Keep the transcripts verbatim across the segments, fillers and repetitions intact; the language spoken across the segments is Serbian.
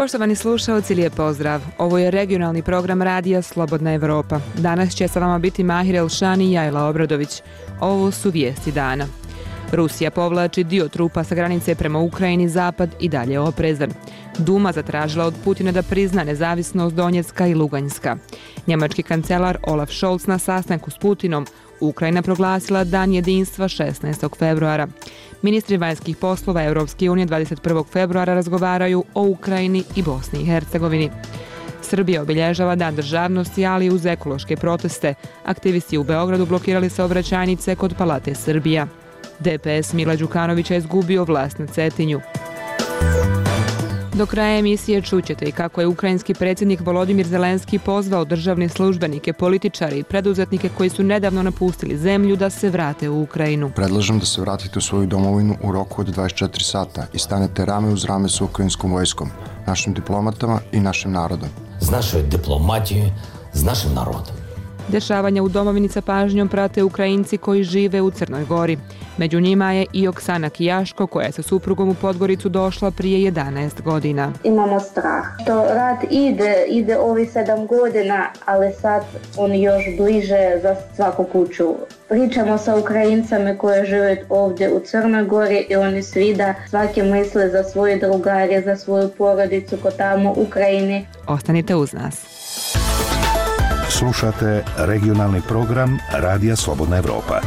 Poštovani slušalci, lijep pozdrav. Ovo je regionalni program radija Slobodna Evropa. Danas će sa vama biti Mahir Elšani i Jajla Obradović. Ovo su vijesti dana. Rusija povlači dio trupa sa granice prema Ukrajini, zapad i dalje oprezan. Duma zatražila od Putina da prizna nezavisnost Donjecka i Luganjska. Njemački kancelar Olaf Scholz na sastanku s Putinom. Ukrajina proglasila Dan jedinstva šesnaestog februara. Ministri vanjskih poslova Europske unije dvadeset prvog februara razgovaraju o Ukrajini i Bosni i Hercegovini. Srbija obilježava Dan državnosti, ali uz ekološke proteste. Aktivisti u Beogradu blokirali saobraćajnice kod Palate Srbija. D P S Mila Đukanovića je izgubio vlast na Cetinju. Do kraja emisije čućete i kako je ukrajinski predsjednik Volodimir Zelenski pozvao državne službenike, političare i preduzetnike koji su nedavno napustili zemlju da se vrate u Ukrajinu. Predlažem da se vratite u svoju domovinu u roku od dvadeset četiri sata i stanete rame uz rame sa ukrajinskom vojskom, našim diplomatama i našim narodom. S našoj diplomatijom, s našim narodom. Dešavanja u domovini sa pažnjom prate Ukrajinci koji žive u Crnoj Gori. Među njima je i Oksana Kijaško, koja je sa suprugom u Podgoricu došla prije jedanaest godina. Imamo strah. To rat ide, ide ovi sedam godina, ali sad on još bliže za svaku kuću. Pričamo sa Ukrajincama koji žive ovdje u Crnoj Gori i oni svi da svaki misle za svoje drugare, za svoju porodicu ko tamo u Ukrajini. Ostanite uz nas. Slušate regionalni program Radija Slobodna Evropa.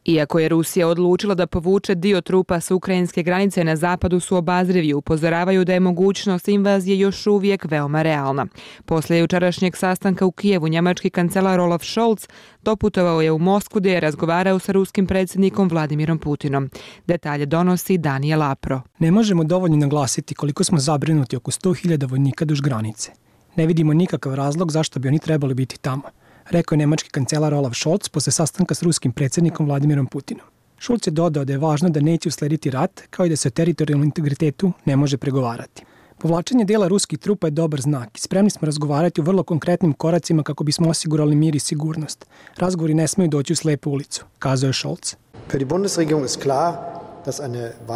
Iako je Rusija odlučila da povuče dio trupa s ukrajinske granice, na zapadu su obazrivi, upozoravaju da je mogućnost invazije još uvijek veoma realna. Poslije jučerašnjeg sastanka u Kijevu, njemački kancelar Olaf Scholz doputovao je u Moskvu gdje je razgovarao sa ruskim predsjednikom Vladimirom Putinom. Detalje donosi Danijel Apro. Ne možemo dovoljno naglasiti koliko smo zabrinuti oko sto hiljada vojnika duž granice. Ne vidimo nikakav razlog zašto bi oni trebali biti tamo, rekao je nemački kancelar Olaf Scholz posle sastanka s ruskim predsjednikom Vladimirom Putinom. Scholz je dodao da je važno da neće uslediti rat, kao i da se o teritorijalnom integritetu ne može pregovarati. Povlačenje dela ruskih trupa je dobar znak i spremni smo razgovarati o vrlo konkretnim koracima kako bismo osigurali mir i sigurnost. Razgovori ne smiju doći u slepu ulicu, kazao je Scholz.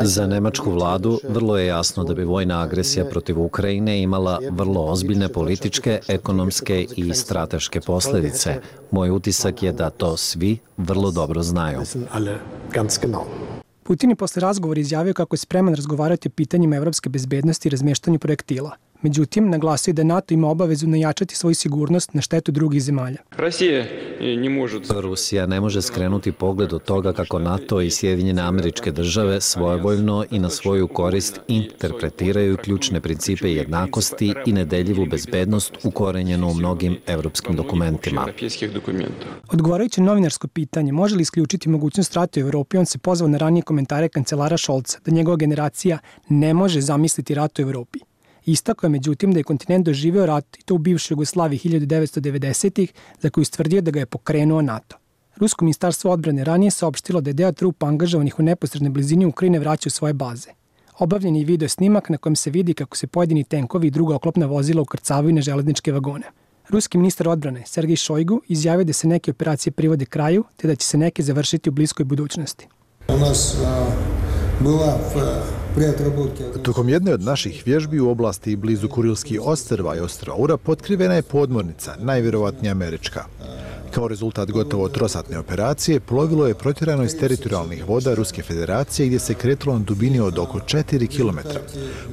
Za nemačku vladu vrlo je jasno da bi vojna agresija protiv Ukrajine imala vrlo ozbiljne političke, ekonomske i strateške posljedice. Moj utisak je da to svi vrlo dobro znaju. Putin je posle razgovora izjavio kako je spreman razgovarati o pitanjima evropske bezbednosti i razmještanju projektila. Međutim, naglasio da NATO ima obavezu najačati svoju sigurnost na štetu drugih zemalja. Rusija ne može skrenuti pogled od toga kako NATO i Sjedinjene Američke Države svojevoljno i na svoju korist interpretiraju ključne principe jednakosti i nedeljivu bezbednost ukorenjenu u mnogim evropskim dokumentima. Odgovarajući novinarsko pitanje može li isključiti mogućnost rata u Evropi, on se pozvao na ranije komentare kancelara Scholza da njegova generacija ne može zamisliti rat u Evropi. Istakao je međutim da je kontinent doživio rat i to u bivšoj Jugoslaviji hiljadu devetsto devedesetih za koju stvrdio da ga je pokrenuo NATO. Rusko ministarstvo odbrane ranije saopštilo da je deo trupa angažovanih u neposrednoj blizini Ukrajine vraća u svoje baze. Obavljen je video snimak na kojem se vidi kako se pojedini tenkovi i druga oklopna vozila ukrcavaju na železničke vagone. Ruski ministar odbrane Sergej Šojgu izjavio da se neke operacije privode kraju te da će se neke završiti u bliskoj budućnosti. Tokom jedne od naših vježbi u oblasti blizu Kurilskih ostrva i ostrva Ura potkrivena je podmornica, najvjerovatnije američka. Kao rezultat gotovo trosatne operacije, plovilo je protjerano iz teritorijalnih voda Ruske federacije gdje se kretalo na dubini od oko četiri kilometra,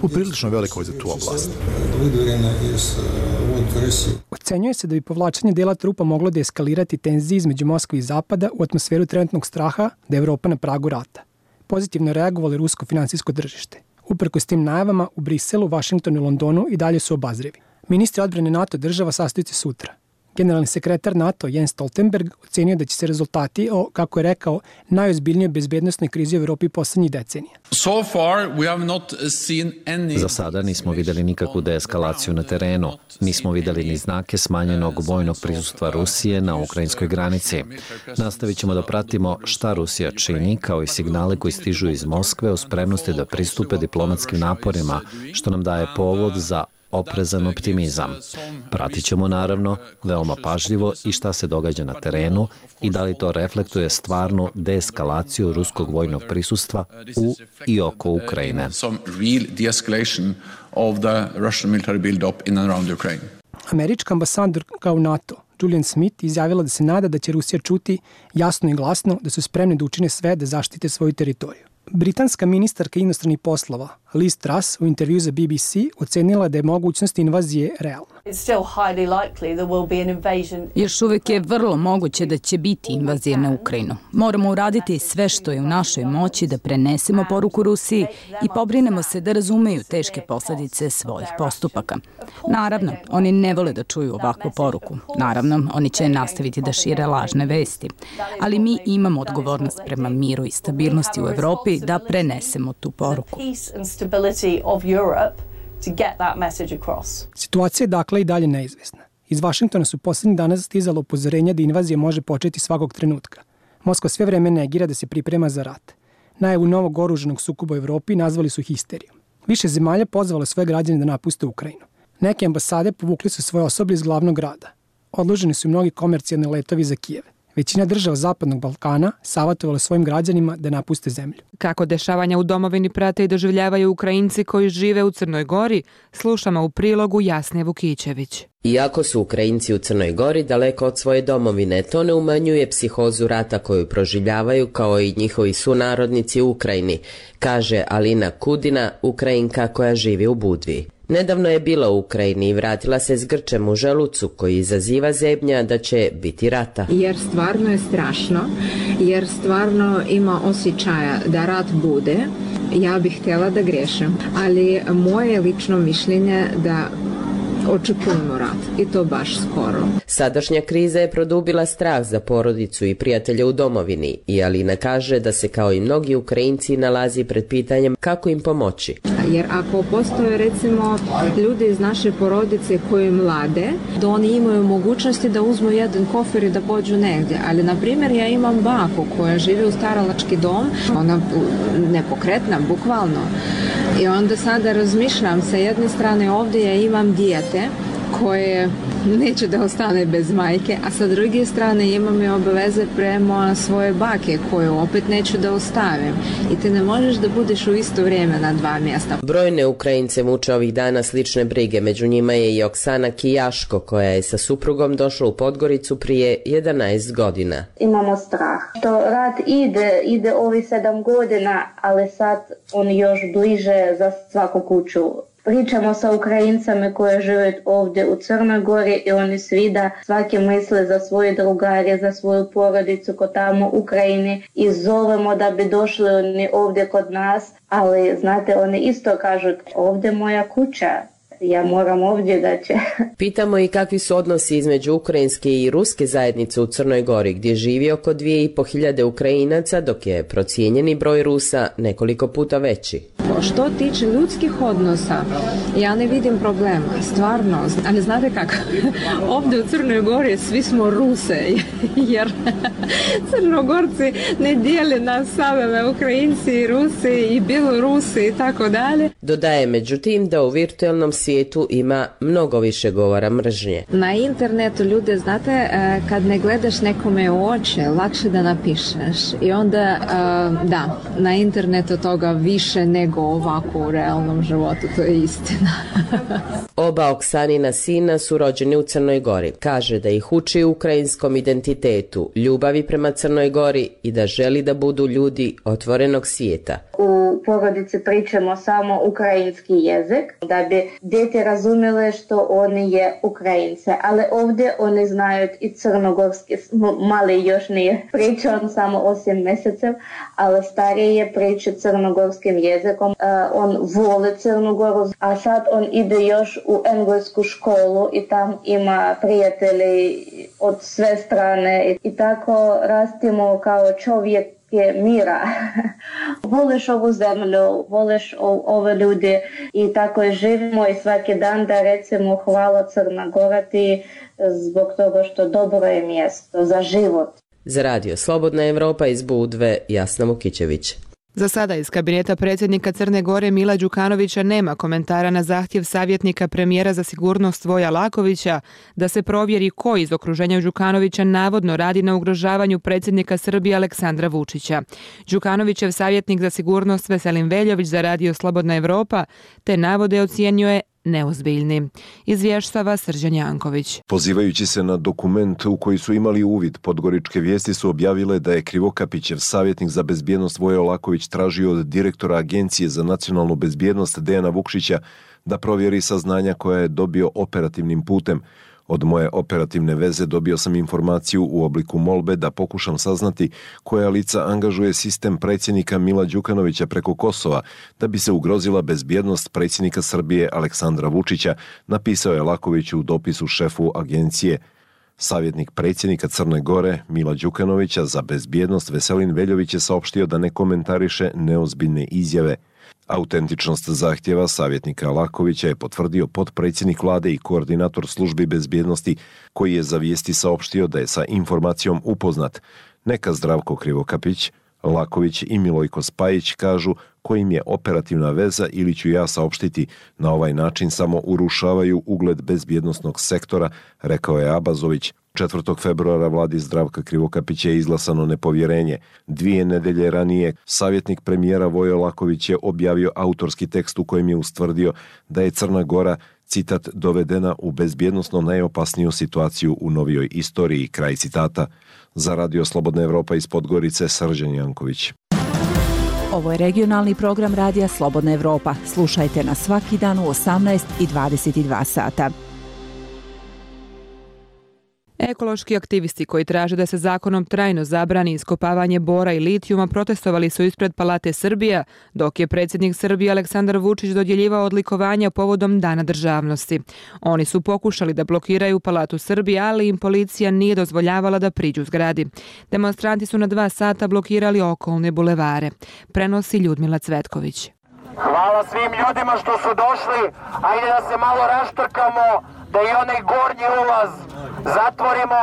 poprilično velikoj za tu oblast. Ocenjuje se da bi povlačenje dela trupa moglo da eskalirati tenzije između Moskve i Zapada u atmosferu trenutnog straha da je Evropa na pragu rata. Pozitivno reagovalo rusko finansijsko tržište. Uprkos tim najavama u Briselu, Vašingtonu i Londonu i dalje su obazrivi. Ministri odbrane NATO država sastaju se sutra. Generalni sekretar NATO Jens Stoltenberg ocenio da će se rezultati o, kako je rekao, najozbiljnijoj bezbednosnoj krizi u Evropi poslednjih decenija. So far, we have not seen any... Za sada nismo vidjeli nikakvu deeskalaciju na terenu. Nismo vidjeli ni znake smanjenog vojnog prisustva Rusije na ukrajinskoj granici. Nastavit ćemo da pratimo šta Rusija čini, kao i signale koji stižu iz Moskve o spremnosti da pristupe diplomatskim naporima, što nam daje povod za oprezan optimizam. Pratit ćemo naravno veoma pažljivo i šta se događa na terenu i da li to reflektuje stvarnu deeskalaciju ruskog vojnog prisustva u i oko Ukrajine. Američka ambasadorka u NATO, Julian Smith, izjavila da se nada da će Rusija čuti jasno i glasno da su spremni da učine sve da zaštite svoju teritoriju. Britanska ministarka inostranih poslova Liz Truss u intervju za B B C ocenila da je mogućnost invazije realna. Još uvijek je vrlo moguće da će biti invazija na Ukrajinu. Moramo uraditi sve što je u našoj moći da prenesemo poruku Rusiji i pobrinemo se da razumeju teške posljedice svojih postupaka. Naravno, oni ne vole da čuju ovakvu poruku. Naravno, oni će nastaviti da šire lažne vesti. Ali mi imamo odgovornost prema miru i stabilnosti u Evropi da prenesemo tu poruku. Situacija je dakle i dalje neizvesna. Iz Vašingtona su posljednjih dana stizalo upozorenja da invazija može početi svakog trenutka. Moskva sve vreme negira da se priprema za rat. Najavu novog oružanog sukoba u Evropi nazvali su histerijom. Više zemalja pozvalo svoje građane da napuste Ukrajinu. Neke ambasade povukli su svoje osoblje iz glavnog grada. Odloženi su i mnogi komercijalni letovi za Kijev. Većina država Zapadnog Balkana savjetovala svojim građanima da napuste zemlju. Kako dešavanja u domovini prate i doživljavaju Ukrajinci koji žive u Crnoj Gori, slušamo u prilogu Jasne Vukićević. Iako su Ukrajinci u Crnoj Gori daleko od svoje domovine, to ne umanjuje psihozu rata koju proživljavaju kao i njihovi sunarodnici u Ukrajini, kaže Alina Kudina, Ukrajinka koja živi u Budvi. Nedavno je bila u Ukrajini i vratila se s grčem u želucu koji izaziva zebnja da će biti rata. Jer stvarno je strašno, jer stvarno ima osjećaja da rat bude. Ja bih htjela da grešim, ali moje lično mišljenje da očekujemo rat i to baš skoro. Sadašnja kriza je produbila strah za porodicu i prijatelje u domovini i Alina kaže da se kao i mnogi Ukrajinci nalazi pred pitanjem kako im pomoći. Jer ako postoje recimo ljudi iz naše porodice koji mlade, da oni imaju mogućnosti da uzmu jedan kofer i da pođu negdje. Ali na primjer ja imam baku koja živi u staralački dom, ona nepokretna, bukvalno. I onda sada razmišljam, sa jedne strane ovdje ja imam dijete koje neće da ostane bez majke, a sa druge strane imam i obaveze prema svoje bake koje opet neću da ostavim. I ti ne možeš da budeš u isto vrijeme na dva mjesta. Brojne Ukrajince muče ovih dana slične brige, među njima je i Oksana Kijaško koja je sa suprugom došla u Podgoricu prije jedanaest godina. Imamo strah. To rat ide, ide ovi sedam godina, ali sad on još bliže za svaku kuću. Pričamo sa Ukrajincama koji žive ovdje u Crnoj Gori i oni svi da svaki misle za svoje drugare, za svoju porodicu kod tamo u Ukrajini i zovemo da bi došli oni ovdje kod nas, ali znate oni isto kažu ovdje moja kuća. Ja moram ovdje da će. Pitamo i kakvi su odnosi između ukrajinske i ruske zajednice u Crnoj Gori, gdje živi oko dvije i po hiljade Ukrajinaca, dok je procijenjeni broj Rusa nekoliko puta veći. Što tiče ljudskih odnosa, ja ne vidim problema, stvarno, ali znate kako, ovdje u Crnoj Gori svi smo Ruse, jer Crnogorci ne dijele nas same, Ukrajinci i Rusi i Bjelorusi i tako dalje. Dodaje međutim da u virtualnom svijetu ima mnogo više govora mržnje. Na internetu ljude, znate, kad ne gledaš nekome u oči, lakše da napišeš i onda, da, na internetu toga više nego ovako u realnom životu, to je istina. Oba Oksanina sina su rođeni u Crnoj Gori. Kaže da ih uči ukrajinskom identitetu, ljubavi prema Crnoj Gori i da želi da budu ljudi otvorenog svijeta. U porodici pričamo samo ukrajinski jezik, da bi djete razumjele što oni je Ukrajince, ali ovdje oni znaju i crnogorski, mali još nije pričao, samo osam mjeseca, ali stariji je pričao crnogorskim jezikom. Uh, on voli Crnu Goru, a sad on ide još u englesku školu i tam ima prijatelji od sve strane i, i tako rastimo kao čovjek je mira. Voliš ovu zemlju, voliš ove ljude i tako živimo i svaki dan da recimo hvala Crna Gora ti zbog toga što dobro je mjesto za život. Za radio Slobodna Evropa iz Budve, Jasna Vukićević. Za sada iz kabineta predsjednika Crne Gore Mila Đukanovića nema komentara na zahtjev savjetnika premijera za sigurnost Voja Lakovića da se provjeri ko iz okruženja Đukanovića navodno radi na ugrožavanju predsjednika Srbije Aleksandra Vučića. Đukanovićev savjetnik za sigurnost Veselin Veljović za Radio Slobodna Evropa te navode ocijenio je neozbiljni. Izvještava Srđan Janković. Pozivajući se na dokument u koji su imali uvid, Podgoričke vijesti su objavile da je Krivokapićev savjetnik za bezbjednost Voja Laković tražio od direktora Agencije za nacionalnu bezbjednost Dejana Vukšića da provjeri saznanja koja je dobio operativnim putem. Od moje operativne veze dobio sam informaciju u obliku molbe da pokušam saznati koja lica angažuje sistem predsjednika Mila Đukanovića preko Kosova da bi se ugrozila bezbjednost predsjednika Srbije Aleksandra Vučića, napisao je Laković u dopisu šefu agencije. Savjetnik predsjednika Crne Gore Mila Đukanovića za bezbjednost Veselin Veljović je saopštio da ne komentariše neozbiljne izjave. Autentičnost zahtjeva savjetnika Lakovića je potvrdio potpredsjednik vlade i koordinator službi bezbjednosti koji je za vijesti saopštio da je sa informacijom upoznat. Neka Zdravko Krivokapić, Laković i Milojko Spajić kažu kojim je operativna veza ili ću ja saopštiti, na ovaj način samo urušavaju ugled bezbjednosnog sektora, rekao je Abazović. četvrtog februara vladi Zdravka Krivokapića je izglasano nepovjerenje. Dvije nedelje ranije savjetnik premijera Vojo Laković je objavio autorski tekst u kojem je ustvrdio da je Crna Gora, citat, dovedena u bezbjednosno najopasniju situaciju u novijoj istoriji, kraj citata. Za Radio Slobodna Evropa iz Podgorice, Srđan Janković. Ovo je regionalni program Radija Slobodna Evropa. Slušajte nas svaki dan u osamnaest i dvadeset dva sata. Ekološki aktivisti koji traže da se zakonom trajno zabrani iskopavanje bora i litijuma protestovali su ispred Palate Srbija, dok je predsjednik Srbije Aleksandar Vučić dodjeljivao odlikovanja povodom Dana državnosti. Oni su pokušali da blokiraju Palatu Srbije, ali im policija nije dozvoljavala da priđu zgradi. Demonstranti su na dva sata blokirali okolne bulevare. Prenosi Ljudmila Cvetković. Hvala svim ljudima što su došli, ajde da se malo raštrkamo, da i onaj gornji ulaz zatvorimo.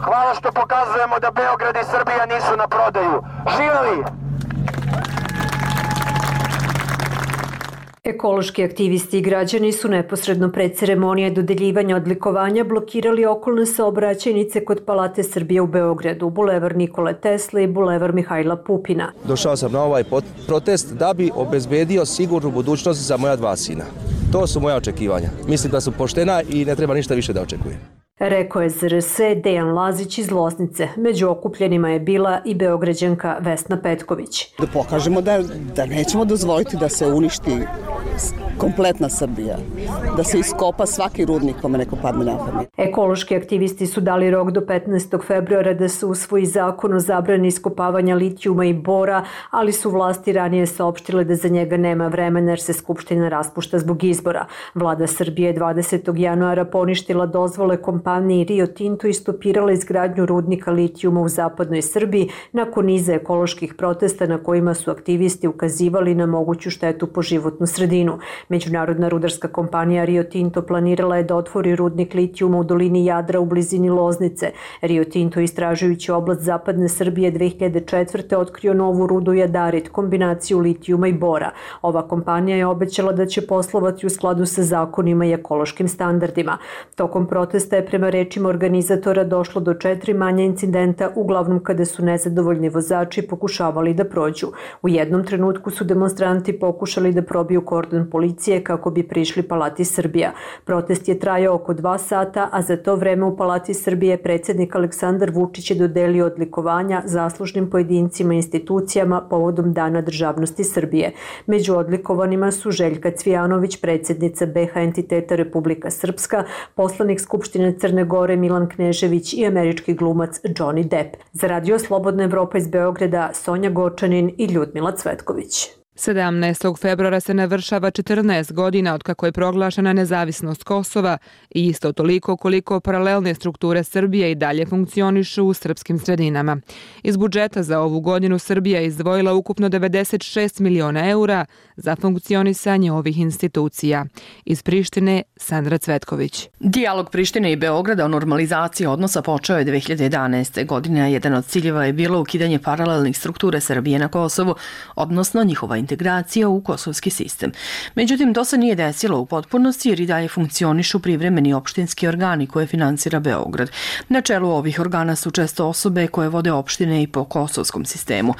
Hvala što pokazujemo da Beograd i Srbija nisu na prodaju. Živeli! Ekološki aktivisti i građani su neposredno pred ceremonije dodeljivanja odlikovanja blokirali okolne saobraćajnice kod Palate Srbije u Beogradu, bulevar Nikole Tesle i bulevar Mihajla Pupina. Došao sam na ovaj protest da bi obezbedio sigurnu budućnost za moja dva sina. To su moja očekivanja. Mislim da su poštena i ne treba ništa više da očekujem. Rekao je Z R S Dejan Lazić iz Loznice. Među okupljenima je bila i Beograđanka Vesna Petković. Da pokažemo da, da nećemo dozvoliti da se uništi kompletna Srbija, da se iskopa svaki rudnik kome neko padne na pamet. Ekološki aktivisti su dali rok do petnaestog februara da se usvoji zakon o zabrani iskopavanja litijuma i bora, ali su vlasti ranije saopštile da za njega nema vremena jer se Skupština raspušta zbog izbora. Vlada Srbije dvadesetog januara poništila dozvole kompaniji Rio Tinto i stopirala izgradnju rudnika litijuma u zapadnoj Srbiji nakon niza ekoloških protesta na kojima su aktivisti ukazivali na moguću štetu po životnu sredinu. Međunarodna rudarska kompanija Rio Tinto planirala je da otvori rudnik litijuma u dolini Jadra u blizini Loznice. Rio Tinto, istražujući oblast zapadne Srbije dve hiljade četvrte. otkrio novu rudu jadarit, kombinaciju litijuma i bora. Ova kompanija je obećala da će poslovati u skladu sa zakonima i ekološkim standardima. Tokom protesta je prema rečima organizatora došlo do četiri manja incidenta, uglavnom kada su nezadovoljni vozači pokušavali da prođu. U jednom trenutku su demonstranti pokušali da probiju kordon policije kako bi prišli Palati Srbija. Protest je trajao oko dva sata, a za to vreme u Palati Srbije predsjednik Aleksandar Vučić je dodelio odlikovanja zaslužnim pojedincima i institucijama povodom Dana državnosti Srbije. Među odlikovanima su Željka Cvijanović, predsjednica B H entiteta Republika Srpska, poslanik Skupštine Crne Gore Milan Knežević i američki glumac Johnny Depp. Za Radio Slobodna Evropa iz Beograda, Sonja Gočanin i Ljudmila Cvetković. sedamnaestog februara se navršava četrnaest godina od kako je proglašena nezavisnost Kosova i isto toliko koliko paralelne strukture Srbije i dalje funkcionišu u srpskim sredinama. Iz budžeta za ovu godinu Srbija je izdvojila ukupno devedeset šest miliona eura za funkcionisanje ovih institucija. Iz Prištine, Sandra Cvetković. Dijalog Prištine i Beograda o normalizaciji odnosa počeo je dve hiljade jedanaeste. godine, a jedan od ciljeva je bilo ukidanje paralelnih struktura Srbije na Kosovu, odnosno njihova integracija u kosovski sistem. Međutim, to se nije desilo u potpunosti jer i dalje funkcionišu privremeni opštinski organi koje finansira Beograd. Na čelu ovih organa su često osobe koje vode opštine i po kosovskom sistemu.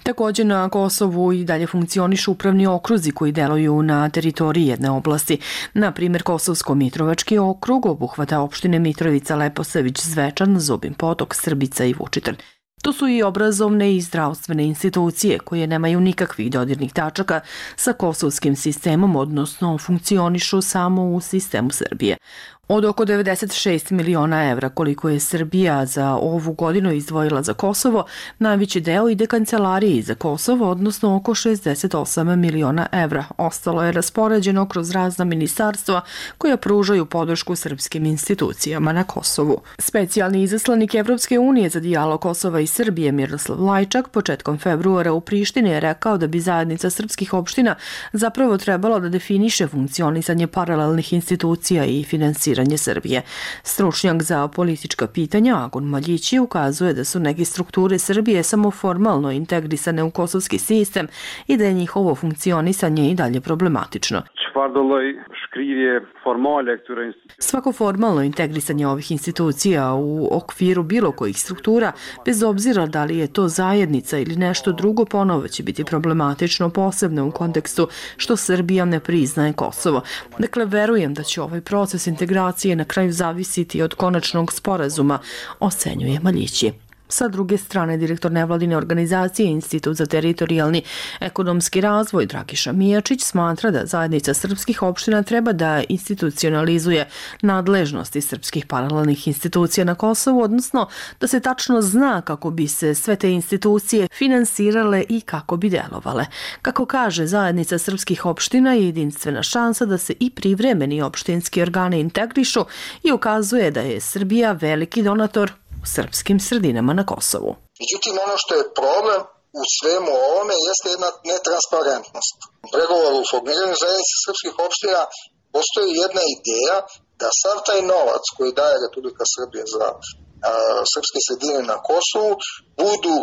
Također na Kosovu i dalje funkcionišu upravni okruzi koji deluju na teritoriji jedne oblasti. Na primjer, Kosovsko-Mitrovački okrug obuhvata opštine Mitrovica, Leposavić, Zvečan, Zubin Potok, Srbica i Vučitrn. Tu su i obrazovne i zdravstvene institucije koje nemaju nikakvih dodirnih tačaka sa kosovskim sistemom, odnosno funkcionišu samo u sistemu Srbije. Od oko devedeset šest miliona evra koliko je Srbija za ovu godinu izdvojila za Kosovo, najveći deo ide kancelariji za Kosovo, odnosno oko šezdeset osam miliona evra. Ostalo je raspoređeno kroz razna ministarstva koja pružaju podršku srpskim institucijama na Kosovu. Specijalni izaslanik Evropske unije za dijalog Kosova i Srbije Miroslav Lajčak početkom februara u Prištini je rekao da bi zajednica srpskih opština zapravo trebalo da definiše funkcionisanje paralelnih institucija i finansiranje Srbije. Stručnjak za politička pitanja Agon Maljići ukazuje da su neke strukture Srbije samo formalno integrisane u kosovski sistem i da je njihovo funkcionisanje i dalje problematično. Svako formalno integrisanje ovih institucija u okviru bilo kojih struktura, bez obzira da li je to zajednica ili nešto drugo, ponovo će biti problematično, posebno u kontekstu što Srbija ne priznaje Kosovo. Dakle, verujem da će ovaj proces integracije na kraju zavisiti od konačnog sporazuma, ocenjuje Maljići. Sa druge strane, direktor nevladine organizacije Institut za teritorijalni ekonomski razvoj Dragiša Mijačić smatra da zajednica srpskih opština treba da institucionalizuje nadležnosti srpskih paralelnih institucija na Kosovu, odnosno da se tačno zna kako bi se sve te institucije finansirale i kako bi delovale. Kako kaže, zajednica srpskih opština je jedinstvena šansa da se i privremeni opštinski organi integrišu i ukazuje da je Srbija veliki donator u srpskim sredinama na Kosovu. Međutim, ono što je problem u svemu ovome jeste jedna netransparentnost. U pregovoru u formiranju zajednice srpskih opština postoji jedna ideja da sav taj novac koji daje Republika Srbija za a, srpske sredine na Kosovu budu,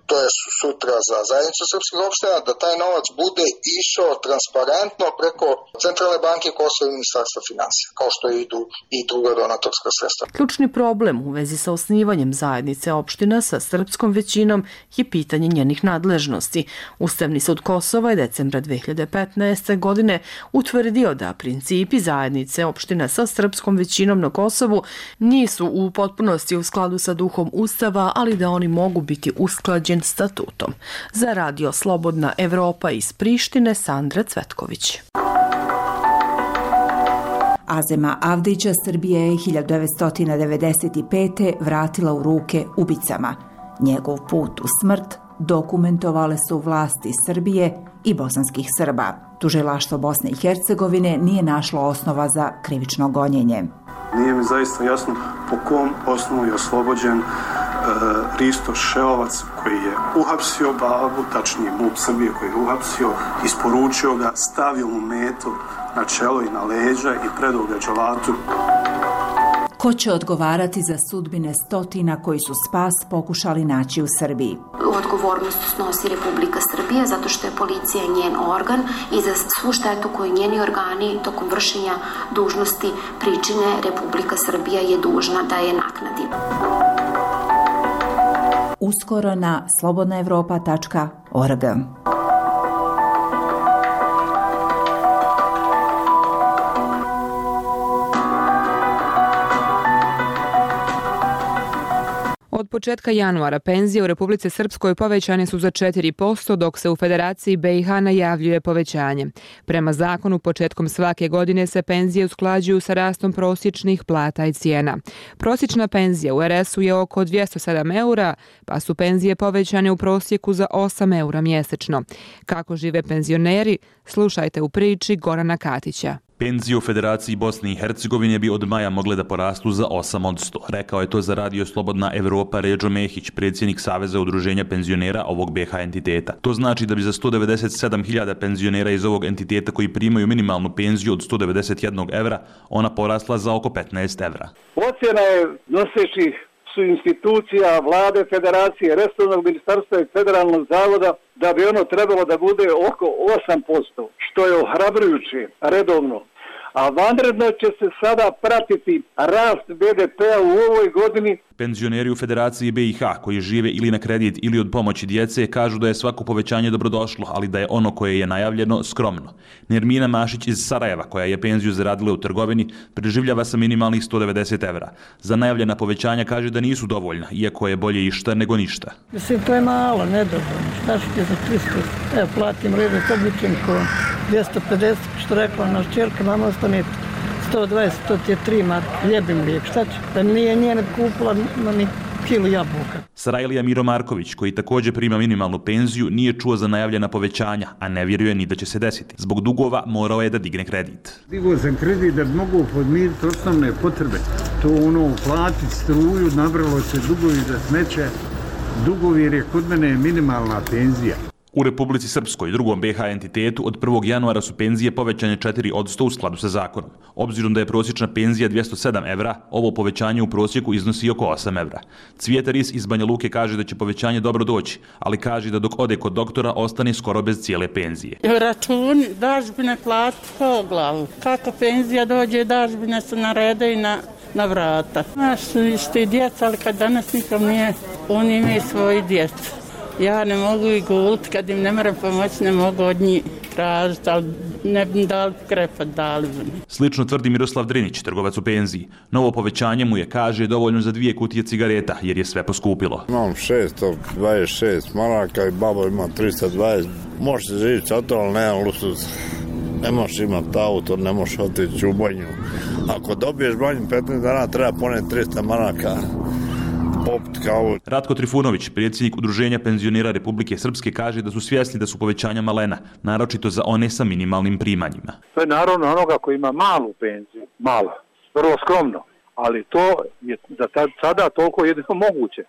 to je sutra za zajednicu srpskih opština, da taj novac bude išao transparentno preko Centralne banke Kosova i Ministarstva finansija, kao što idu i druga donatorska sredstva. Ključni problem u vezi sa osnivanjem zajednice opština sa srpskom većinom je pitanje njenih nadležnosti. Ustavni sud Kosova je decembra dve hiljade petnaeste. godine utvrdio da principi zajednice opština sa srpskom većinom na Kosovu nisu u potpunosti u skladu sa duhom Ustava, ali da oni mogu biti usklađeni statutom. Za Radio Slobodna Evropa iz Prištine, Sandra Cvetković. Azema Avdića Srbije je hiljadu devetsto devedeset pete. vratila u ruke ubicama. Njegov put u smrt dokumentovale su vlasti Srbije i bosanskih Srba. Tužilaštvo Bosne i Hercegovine nije našlo osnova za krivično gonjenje. Nije mi zaista jasno po kom osnovu je oslobođen Risto Šeovac koji je uhapsio babu, tačnije MUP Srbije koji je uhapsio, isporučio ga, stavio mu metu na čelo i na leđa i predao ga dželatu. Ko će odgovarati za sudbine stotina koji su spas pokušali naći u Srbiji? Odgovornost snosi Republika Srbija zato što je policija njen organ i za svu štetu koju njeni organi tokom vršenja dužnosti pričine Republika Srbija je dužna da je naknadi. Uskoro na slobodna evropa tačka org. Od početka januara penzije u Republici Srpskoj povećane su za četiri posto, dok se u Federaciji B i H najavljuje povećanje. Prema zakonu, početkom svake godine se penzije usklađuju sa rastom prosječnih plata i cijena. Prosječna penzija u R S-u je oko dvjesto sedam eura, pa su penzije povećane u prosjeku za osam eura mjesečno. Kako žive penzioneri, slušajte u priči Gorana Katića. Penzije u Federaciji Bosne i Hercegovine bi od maja mogle da porastu za osam posto. Rekao je to za Radio Slobodna Evropa Redžo Mehić, predsjednik Saveza udruženja penzionera ovog B H entiteta. To znači da bi za sto devedeset sedam hiljada penzionera iz ovog entiteta koji primaju minimalnu penziju od sto devedeset jedan evra, ona porasla za oko petnaest evra. Ocjena je nosećih su institucija, vlade, federacije, resornog ministarstva i federalnog zavoda da bi ono trebalo da bude oko osam posto, što je ohrabrujuće redovno. A vanredno će se sada pratiti rast B D P-a u ovoj godini. Penzioneri u Federaciji B i H koji žive ili na kredit ili od pomoći djece kažu da je svako povećanje dobrodošlo, ali da je ono koje je najavljeno skromno. Nermina Mašić iz Sarajeva, koja je penziju zaradila u trgovini, preživljava sa minimalnih sto devedeset evra. Za najavljena povećanja kaže da nisu dovoljna, iako je bolje išta nego ništa. Mislim, to je malo, nedovoljno. Šta ću ti za tristo? Evo, platim redet običan ko dvjesto pedeset, što rekla naš čerka, mama ostane sto dvadeset, to ti je tri marke, ljebim lijek, šta ću? Da nije njene kupila ni kilu jabuka. Sarajlija Miro Marković, koji također prima minimalnu penziju, nije čuo za najavljena povećanja, a ne vjeruje ni da će se desiti. Zbog dugova morao je da digne kredit. Digao sam kredit da mogu podmiriti osnovne potrebe. To ono, platiti struju, nabralo se dugovi za smeće, dugovi jer je kod mene minimalna penzija. U Republici Srpskoj, drugom B H entitetu, od prvog januara su penzije povećane četiri posto u skladu sa zakonom. Obzirom da je prosječna penzija dvjesto sedam evra, ovo povećanje u prosjeku iznosi oko osam evra. Cvijeta Ris iz Banja Luke kaže da će povećanje dobro doći, ali kaže da dok ode kod doktora ostane skoro bez cijele penzije. Računi, dažbine plati po glavu. Kako penzija dođe, dažbine se narede i na, na vrata. Znaš, isti djeca, ali kad danas nikom nije, oni imaju svoji djeca. Ja ne mogu i guliti, kad im ne moram pomoći, ne mogu od njih tražiti, ali ne bi dali krepat, dali bi mi. Slično tvrdi Miroslav Drinić, trgovac u penziji. Novo povećanje mu je, kaže, dovoljno za dvije kutije cigareta, jer je sve poskupilo. Imam šesto dvadeset šest maraka i babo ima tristo dvadeset. Može se živjeti sa to, ali nemam luksuz. Ne možeš imati auto, ne možeš otići u banju. Ako dobiješ banju petnaest dana, treba poneti tristo maraka. Ratko Trifunović, predsjednik Udruženja penzionera Republike Srpske, kaže da su svjesni da su povećanja malena, naročito za one sa minimalnim primanjima. To je naravno onoga koji ima malu penziju, malo, vrlo skromno, ali to je za sada toliko jedino moguće.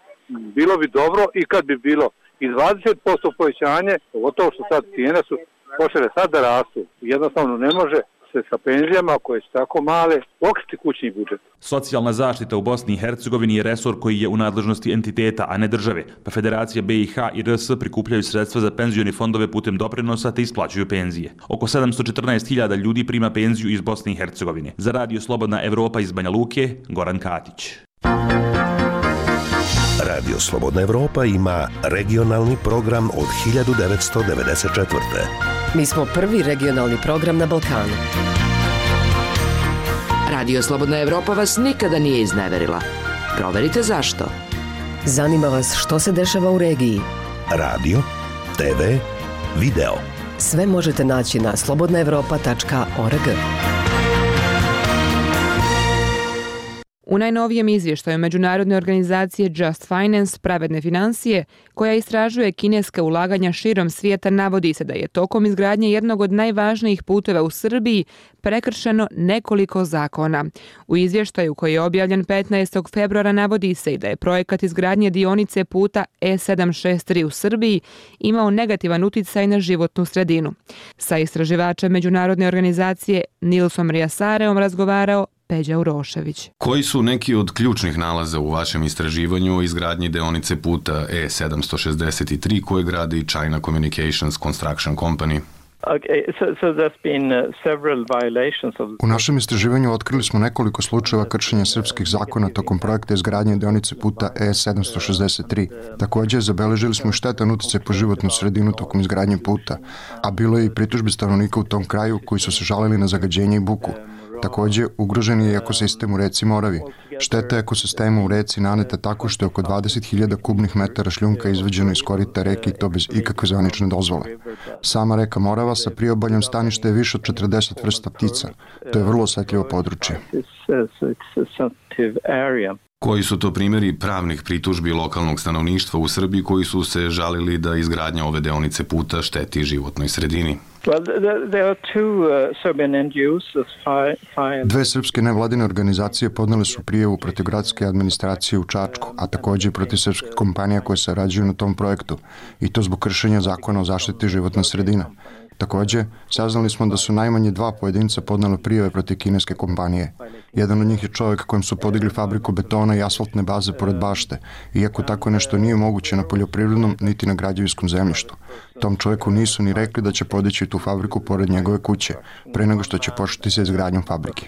Bilo bi dobro i kad bi bilo i dvadeset posto povećanje, pogotovo što sad cijene su počele sad da rastu, jednostavno ne može se sa penzijama koje su tako male pokriti kućni budžet. Socijalna zaštita u Bosni i Hercegovini je resor koji je u nadležnosti entiteta, a ne države, pa Federacija B i H i R S prikupljaju sredstva za penzioni fondove putem doprinosa te isplaćuju penzije. Oko sedamsto četrnaest hiljada ljudi prima penziju iz Bosne i Hercegovine. Za Radio Slobodna Evropa iz Banja Luke, Goran Katić. Radio Slobodna Evropa ima regionalni program od hiljadu devetsto devedeset četvrte. Mi smo prvi regionalni program na Balkanu. Radio Slobodna Evropa vas nikada nije izneverila. Proverite zašto. Zanima vas što se dešava u regiji. Radio, te ve, video. Sve možete naći na slobodna evropa tačka org. U najnovijem izvještaju međunarodne organizacije Just Finance, pravedne financije, koja istražuje kineske ulaganja širom svijeta, navodi se da je tokom izgradnje jednog od najvažnijih puteva u Srbiji prekršeno nekoliko zakona. U izvještaju koji je objavljen petnaestog februara navodi se i da je projekat izgradnje dionice puta E sedam šest tri u Srbiji imao negativan uticaj na životnu sredinu. Sa istraživačem međunarodne organizacije Nilsom Rijasareom razgovarao Peđa Urošević. Koji su neki od ključnih nalaza u vašem istraživanju o izgradnji deonice puta E sedamsto šezdeset tri koje gradi China Communications Construction Company? U našem istraživanju otkrili smo nekoliko slučajeva kršenja srpskih zakona tokom projekta izgradnje deonice puta E sedamsto šezdeset tri. Također, zabeležili smo i štetan uticaj po životnu sredinu tokom izgradnje puta, a bilo je i pritužbi stanovnika u tom kraju koji su se žalili na zagađenje i buku. Takođe, ugrožen je i ekosistem u reci Moravi. Šteta ekosistema u reci naneta tako što je oko dvadeset hiljada kubnih metara šljunka izvađeno iz korita reke i to bez ikakve zvanične dozvole. Sama reka Morava sa priobaljem staništa je više od četrdeset vrsta ptica. To je vrlo osetljivo područje. Koji su to primjeri pravnih pritužbi lokalnog stanovništva u Srbiji koji su se žalili da izgradnja ove deonice puta šteti životnoj sredini? Dve srpske nevladine organizacije podnele su prijavu protiv gradske administracije u Čačku, a takođe i protiv srpskih kompanija koje sarađuju na tom projektu, i to zbog kršenja zakona o zaštiti životne sredine. Takođe, saznali smo da su najmanje dva pojedinca podnele prijave protiv kineske kompanije. Jedan od njih je čovjek kojem su podigli fabriku betona i asfaltne baze pored bašte, iako tako nešto nije moguće na poljoprivrednom niti na građevinskom zemljištu. Tom čovjeku nisu ni rekli da će podići tu fabriku pored njegove kuće, pre nego što će početi sa izgradnjom fabrike.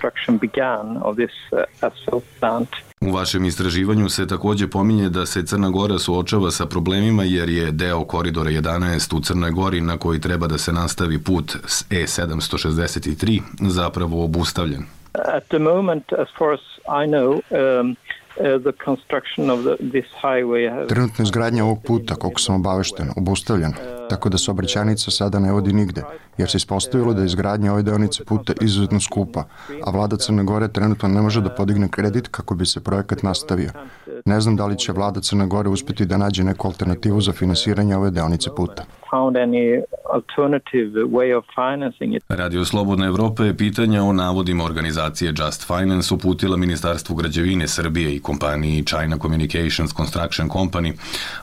U vašem istraživanju se takođe pominje da se Crna Gora suočava sa problemima jer je deo koridora jedanaest u Crnoj Gori na koji treba da se nastavi put E sedamsto šezdeset tri zapravo obustavljen. At the moment, as far as I know, um, the construction of the, this highway has... Trenutno izgradnja ovog puta, koliko sam obavešten, obustavljena, tako da saobraćajnica sada ne vodi nigde, jer se ispostavilo da je izgradnja ove deonice puta izuzetno skupa, a vlada Crne Gore trenutno ne može da podigne kredit kako bi se projekat nastavio. Ne znam da li će vlada Crne Gore uspeti da nađe neku alternativu za finansiranje ove deonice puta. Radio Slobodna Evropa je pitanja o navodima organizacije Just Finance uputila Ministarstvu građevine Srbije i kompaniji China Communications Construction Company,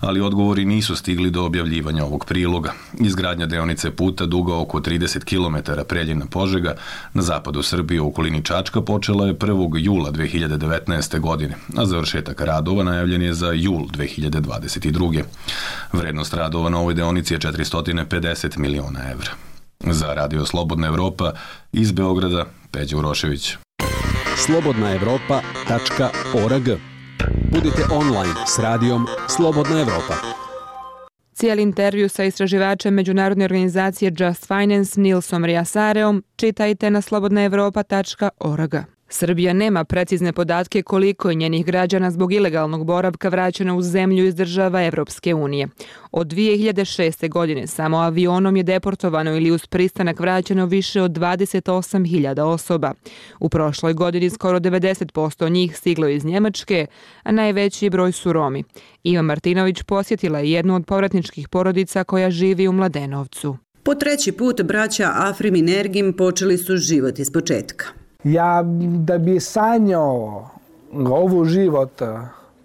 ali odgovori nisu stigli do objavljivanja ovog priloga. Izgradnja deonice puta duga oko trideset kilometara Preljina-Požega na zapadu Srbije u okolini Čačka počela je prvog jula dve hiljade devetnaeste. godine, a završetak radova najavljen je za jul dve hiljade dvadeset druge. Vrednost radova na ovoj deonici je četiristo pedeset miliona evra. Za Radio Slobodna Evropa iz Beograda, Peđa Urošević. slobodna evropa tačka org. Budite online s radijom Slobodna Evropa. Cijeli intervju sa istraživačem međunarodne organizacije Just Finance Nilsom Riasareom čitajte na slobodna evropa tačka org. Srbija nema precizne podatke koliko je njenih građana zbog ilegalnog boravka vraćeno u zemlju iz država Evropske unije. Od dvije hiljade šeste. godine samo avionom je deportovano ili uz pristanak vraćeno više od dvadeset osam hiljada osoba. U prošloj godini skoro devedeset posto njih stiglo iz Njemačke, a najveći broj su Romi. Iva Martinović posjetila je jednu od povratničkih porodica koja živi u Mladenovcu. Po treći put braća Afrim i Nergim počeli su život iz početka. Ja da bi sanjao ovu život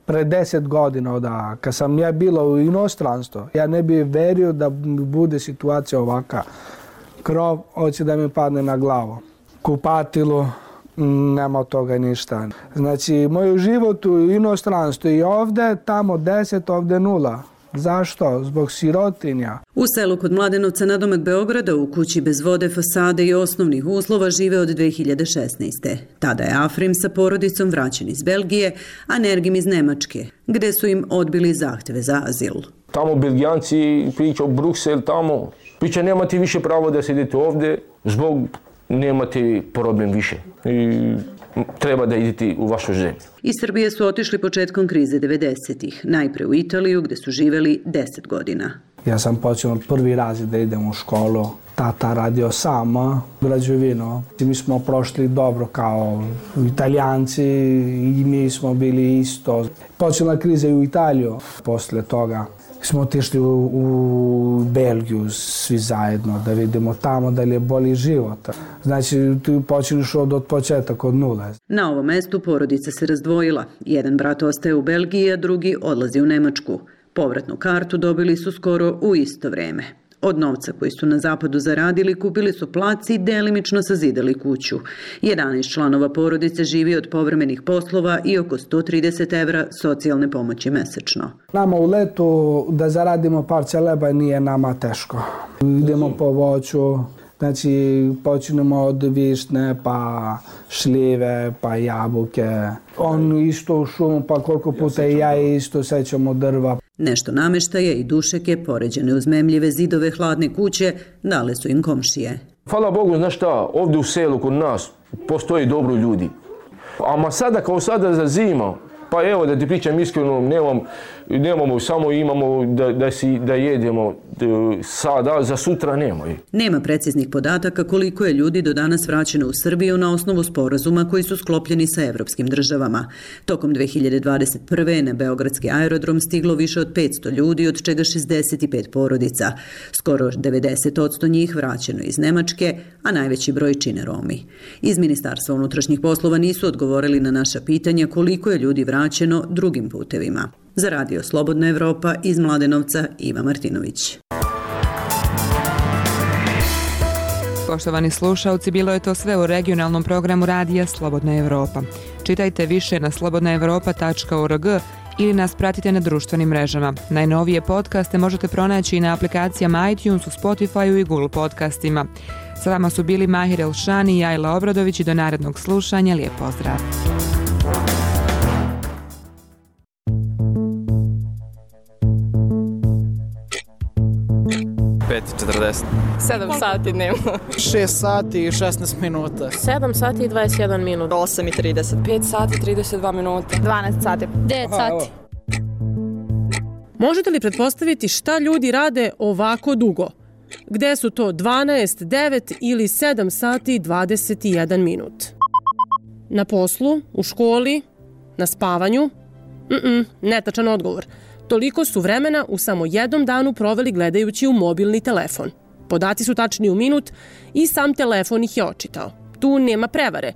pre deset godina, da kad sam ja bila u inostranstvu, ja ne bih verio da bude situacija ovaka. Krov hoće da mi padne na glavu. Kupatilo, nema od toga ništa. Znači, moj život u inostranstvu i ovde, tamo deset, ovde nula. Zašto? Zbog sirotinja. U selu kod Mladenovca nadomak Beograda u kući bez vode, fasade i osnovnih uslova žive od dve hiljade šesnaeste. Tada je Afrim sa porodicom vraćen iz Belgije, a Nergim iz Nemačke, gde su im odbili zahteve za azil. Tamo Belgijanci pričaju Bruksel, tamo pričaju nemate više pravo da sedete ovde, zbog nemate problem više. I treba da idete u vašu zemlju. Iz Srbije su otišli početkom krize devedesetih, najpre u Italiju gde su živeli deset godina. Ja sam počeo prvi razred da idem u školu. Tata radio sama građevinu. Mi smo prošli dobro kao Italijanci i mi smo bili isto. Počela kriza i u Italiju. Posle toga smo otišli u, u Belgiju svi zajedno da vidimo tamo da li je bolji život. Znači, tu počeliš od, od početka, od nule. Na ovom mestu porodica se razdvojila. Jedan brat ostaje u Belgiji, a drugi odlazi u Nemačku. Povratnu kartu dobili su skoro u isto vreme. Od novca koji su na zapadu zaradili, kupili su plac i delimično sazidali kuću. jedanaest članova porodice živi od povremenih poslova i oko sto trideset evra socijalne pomoći mesečno. Nama u letu da zaradimo parče leba nije nama teško. Idemo po voću, znači počinemo od višnje, pa šljive, pa jabuke. On isto u šumu, pa koliko puta i ja isto sećamo drva. Nešto nameštaje i dušeke, poređene uz memljive zidove hladne kuće, dale su im komšije. Hvala Bogu, znaš šta, ovdje u selu kod nas postoji dobro ljudi. A sada kao sada za zima, pa evo da ti pričam iskreno, nemam, nemamo, samo imamo da, da, si, da jedemo sada, za sutra nema. Nema preciznih podataka koliko je ljudi do danas vraćeno u Srbiju na osnovu sporazuma koji su sklopljeni sa evropskim državama. Tokom dve hiljade dvadeset prve. na Beogradski aerodrom stiglo više od petsto ljudi, od čega šezdeset pet porodica. Skoro devedeset posto njih vraćeno iz Nemačke, a najveći broj čine Romi. Iz Ministarstva unutrašnjih poslova nisu odgovorili na naša pitanja koliko je ljudi vraćeno drugim putevima. Za Radio Slobodna Evropa iz Mladenovca, Iva Martinović. Poštovani slušalci, bilo je to sve u regionalnom programu Radija Slobodna Evropa. Čitajte više na slobodna evropa tačka org ili nas pratite na društvenim mrežama. Najnovije podcaste možete pronaći i na aplikacijama iTunes, u Spotify-u i Google podcastima. Sa vama su bili Mahir Elšani i Ajla Obradović i do narednog slušanja. Lijep pozdrav! pet četrdeset. sedam sati dnevno. šest sati i šesnaest minuta. sedam sati i dvadeset jedan minut. osam i trideset. pet sati i trideset dva minuta. dvanaest sati. devet sati. Možete li pretpostaviti šta ljudi rade ovako dugo? Gde su to dvanaest, devet ili sedam sati i dvadeset jedan minut? Na poslu, u školi, na spavanju? Mm-mm, netačan odgovor. Toliko su vremena u samo jednom danu proveli gledajući u mobilni telefon. Podaci su tačni u minut i sam telefon ih je očitao. Tu nema prevare.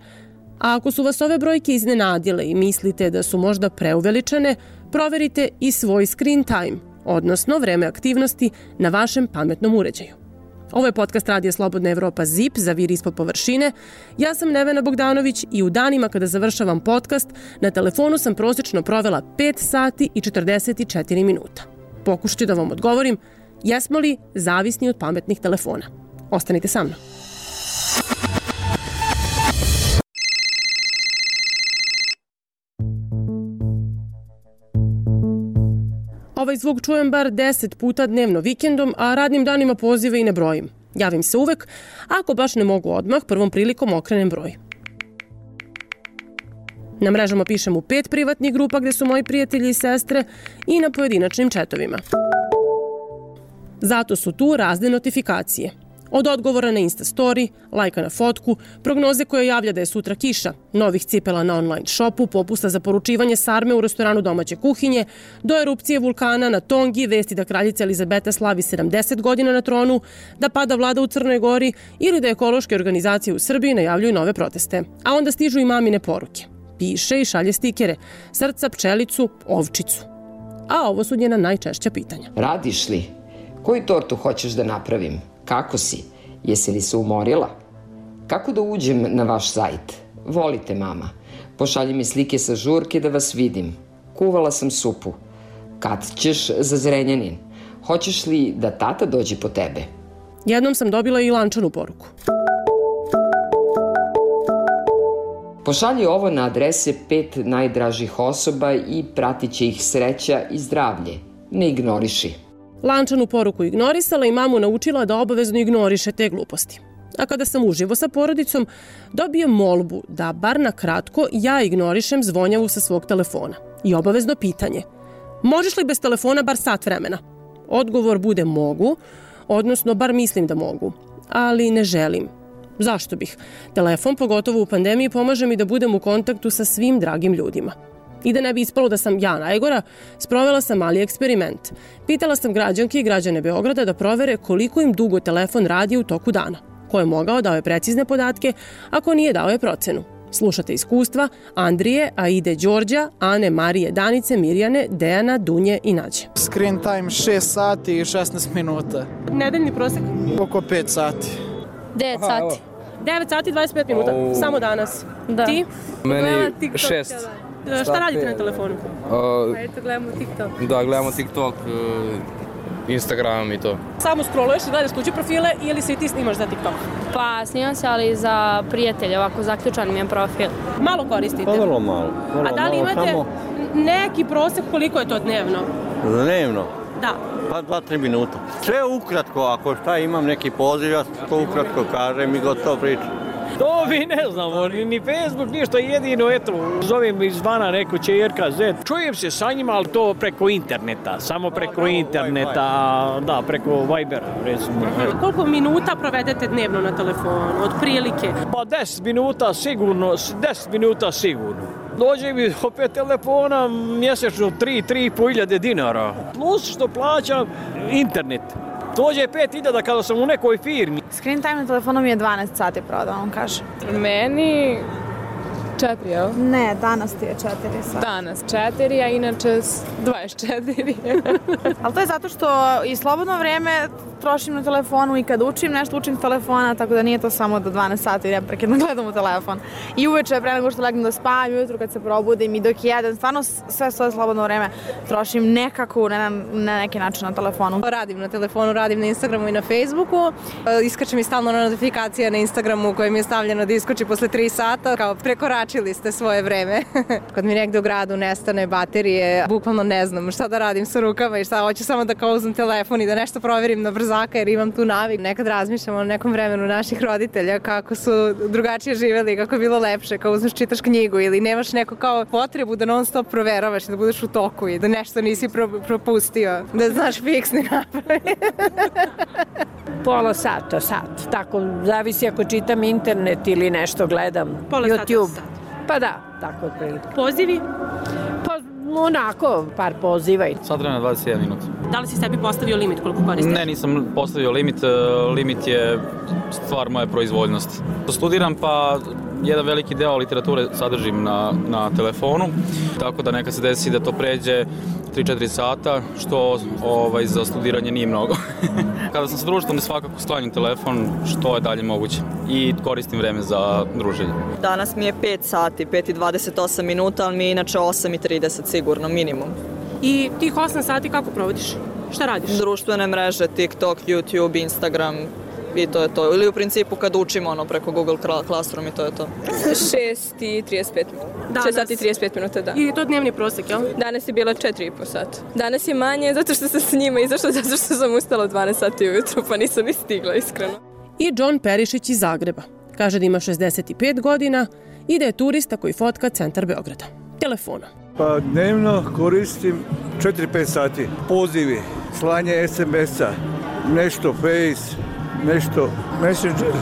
A ako su vas ove brojke iznenadile i mislite da su možda preuveličane, proverite i svoj screen time, odnosno vreme aktivnosti na vašem pametnom uređaju. Ovo je podcast Radija Slobodna Evropa Z I P, Zaviri ispod površine. Ja sam Nevena Bogdanović i u danima kada završavam podcast, na telefonu sam prosječno provela pet sati i četrdeset četiri minuta. Pokušat ću da vam odgovorim, jesmo li zavisni od pametnih telefona? Ostanite sa mnom. Ovaj zvuk čujem bar deset puta dnevno vikendom, a radnim danima pozive i ne brojim. Javim se uvek, ako baš ne mogu odmah, prvom prilikom okrenem broj. Na mrežama pišem u pet privatnih grupa gde su moji prijatelji i sestre i na pojedinačnim četovima. Zato su tu razne notifikacije. Od odgovora na Insta story, lajka na fotku, prognoze koja javlja da je sutra kiša, novih cipela na online shopu, popusta za poručivanje sarme u restoranu domaće kuhinje, do erupcije vulkana na Tongi, vesti da kraljica Elizabeta slavi sedamdeset godina na tronu, da pada vlada u Crnoj Gori ili da ekološke organizacije u Srbiji najavljuju nove proteste. A onda stižu i mamine poruke. Piše i šalje stikere, srca, pčelicu, ovčicu. A ovo su njena najčešća pitanja. Radiš li? Koju tortu hoćeš da napravim? Kako si? Jesi li se umorila? Kako da uđem na vaš sajt? Volite, mama. Pošalji mi slike sa žurke da vas vidim. Kuvala sam supu. Kad ćeš za Zrenjanin? Hoćeš li da tata dođe po tebe? Jednom sam dobila i lančanu poruku. Pošalji ovo na adrese pet najdražih osoba i pratit će ih sreća i zdravlje. Ne ignoriši. Lančanu poruku ignorisala i mamu naučila da obavezno ignoriše te gluposti. A kada sam uživo sa porodicom, dobijem molbu da bar na kratko ja ignorišem zvonjavu sa svog telefona. I obavezno pitanje. Možeš li bez telefona bar sat vremena? Odgovor bude mogu, odnosno bar mislim da mogu, ali ne želim. Zašto bih? Telefon, pogotovo u pandemiji, pomaže mi da budem u kontaktu sa svim dragim ljudima. I da ne bi ispalo da sam ja najgora, sprovela sam mali eksperiment. Pitala sam građanke i građane Beograda da provere koliko im dugo telefon radi u toku dana. Ko je mogao dao je precizne podatke, ako nije dao je procenu. Slušate iskustva Andrije, Aide, Đorđa, Ane, Marije, Danice, Mirjane, Dejana, Dunje i Nađe. Screen time šest sati i šesnaest minuta. Nedeljni prosek? Oko pet sati. devet sati. devet sati i dvadeset pet minuta, oh. Samo danas. Da. Ti? Meni šest. Šta radite na telefonu? Uh, Eto, gledamo TikTok. Da, gledamo TikTok, uh, Instagram i to. Samo scrolluješ i gledaš tuđe profile ili se i ti snimaš za TikTok? Pa, snimam se, ali za prijatelje, ovako zaključan mi je profil. Malo koristite? Pa vrlo malo. Vrlo A da li malo, imate samo... neki prosek koliko je to dnevno? Dnevno? Da. Pa dva, tri minuta. Sve ukratko, ako šta imam neki poziv, ja to ukratko kažem i gotovo pričam. To mi ne znamo, ni Facebook, ništa, jedino, eto, zovem izvana neku čerka, zet. Čujem se sa njima, ali to preko interneta, samo preko interneta, da, preko Vibera, recimo. Koliko minuta provedete dnevno na telefonu, od prilike? Pa deset minuta sigurno, deset minuta sigurno. Dođe mi opet telefona mjesečno tri, tri i po hiljade dinara, plus što plaćam internet. Dođe pet hiljada kada sam u nekoj firmi. Screen time na telefonu mi je dvanaest sati pravo da vam kažem. Meni četiri, jel? Ne, danas ti je četiri sati. Danas četiri, a inače dvadeset četiri. Ali to je zato što i slobodno vrijeme trošim na telefonu i kad učim nešto učim s telefona, tako da nije to samo do dvanaest sati neprekidno gledam u telefon. I uveče pre nego što legnem da spavam, ujutru kad se probudim i dok jedem, stvarno sve svoje slobodno vrijeme trošim nekako na, na neki način na telefonu. Radim na telefonu, radim na Instagramu i na Facebooku. Iskače mi stalno notifikacija na Instagramu u kojem je stavljeno da iskoči posle tri sata, kao prekoračili ste svoje vreme. Kad mi negde u gradu nestane baterije, bukvalno ne znam šta da radim sa rukama i šta, hoću samo da kao uzmem telefon i da nešto proverim na brzo jer imam tu navik. Nekad razmišljam o nekom vremenu naših roditelja kako su drugačije živjeli, kako je bilo lepše, kao uzmeš čitaš knjigu ili nemaš neku kao potrebu da non stop proveravaš i da budeš u toku i da nešto nisi pro, propustio, da znaš fiksni napravi. Pola sata, sat. Tako, zavisi ako čitam internet ili nešto gledam. Pola YouTube. Sata, sat. Pa da, tako otprilike. Pozivi? Pa onako, par poziva. Sad vremena dvadeset jedan minut. Da li si sebi postavio limit koliko koristiš? Ne, nisam postavio limit. Limit je stvar moje proizvoljnosti. Studiram pa jedan veliki deo literature sadržim na, na telefonu, tako da neka se desi da to pređe tri četiri sata, što ovaj, za studiranje nije mnogo. Kada sam sa društvom, svakako sklanjam telefon što je dalje moguće i koristim vreme za druženje. Danas mi je pet sati, pet i dvadeset osam minuta, ali mi je inače osam i trideset sigurno, minimum. I tih osam sati kako provodiš? Šta radiš? Društvene mreže, TikTok, YouTube, Instagram i to je to. Ili u principu kad učimo ono preko Google Classroom i to je to. šest i trideset pet minuta. šest sati i trideset pet minuta, da. I je to dnevni prosjek, jel? Danas je bilo četiri i po sata. Danas je manje zato što sam s njima izašla, zato što sam ustala dvanaest sati ujutru, pa nisam ni stigla, iskreno. I John Perišić iz Zagreba. Kaže da ima šezdeset pet godina i da je turista koji fotka centar Beograda. Telefona. Pa dnevno koristim četiri pet sati. Pozivi, slanje es em es-a, nešto Face, nešto Messenger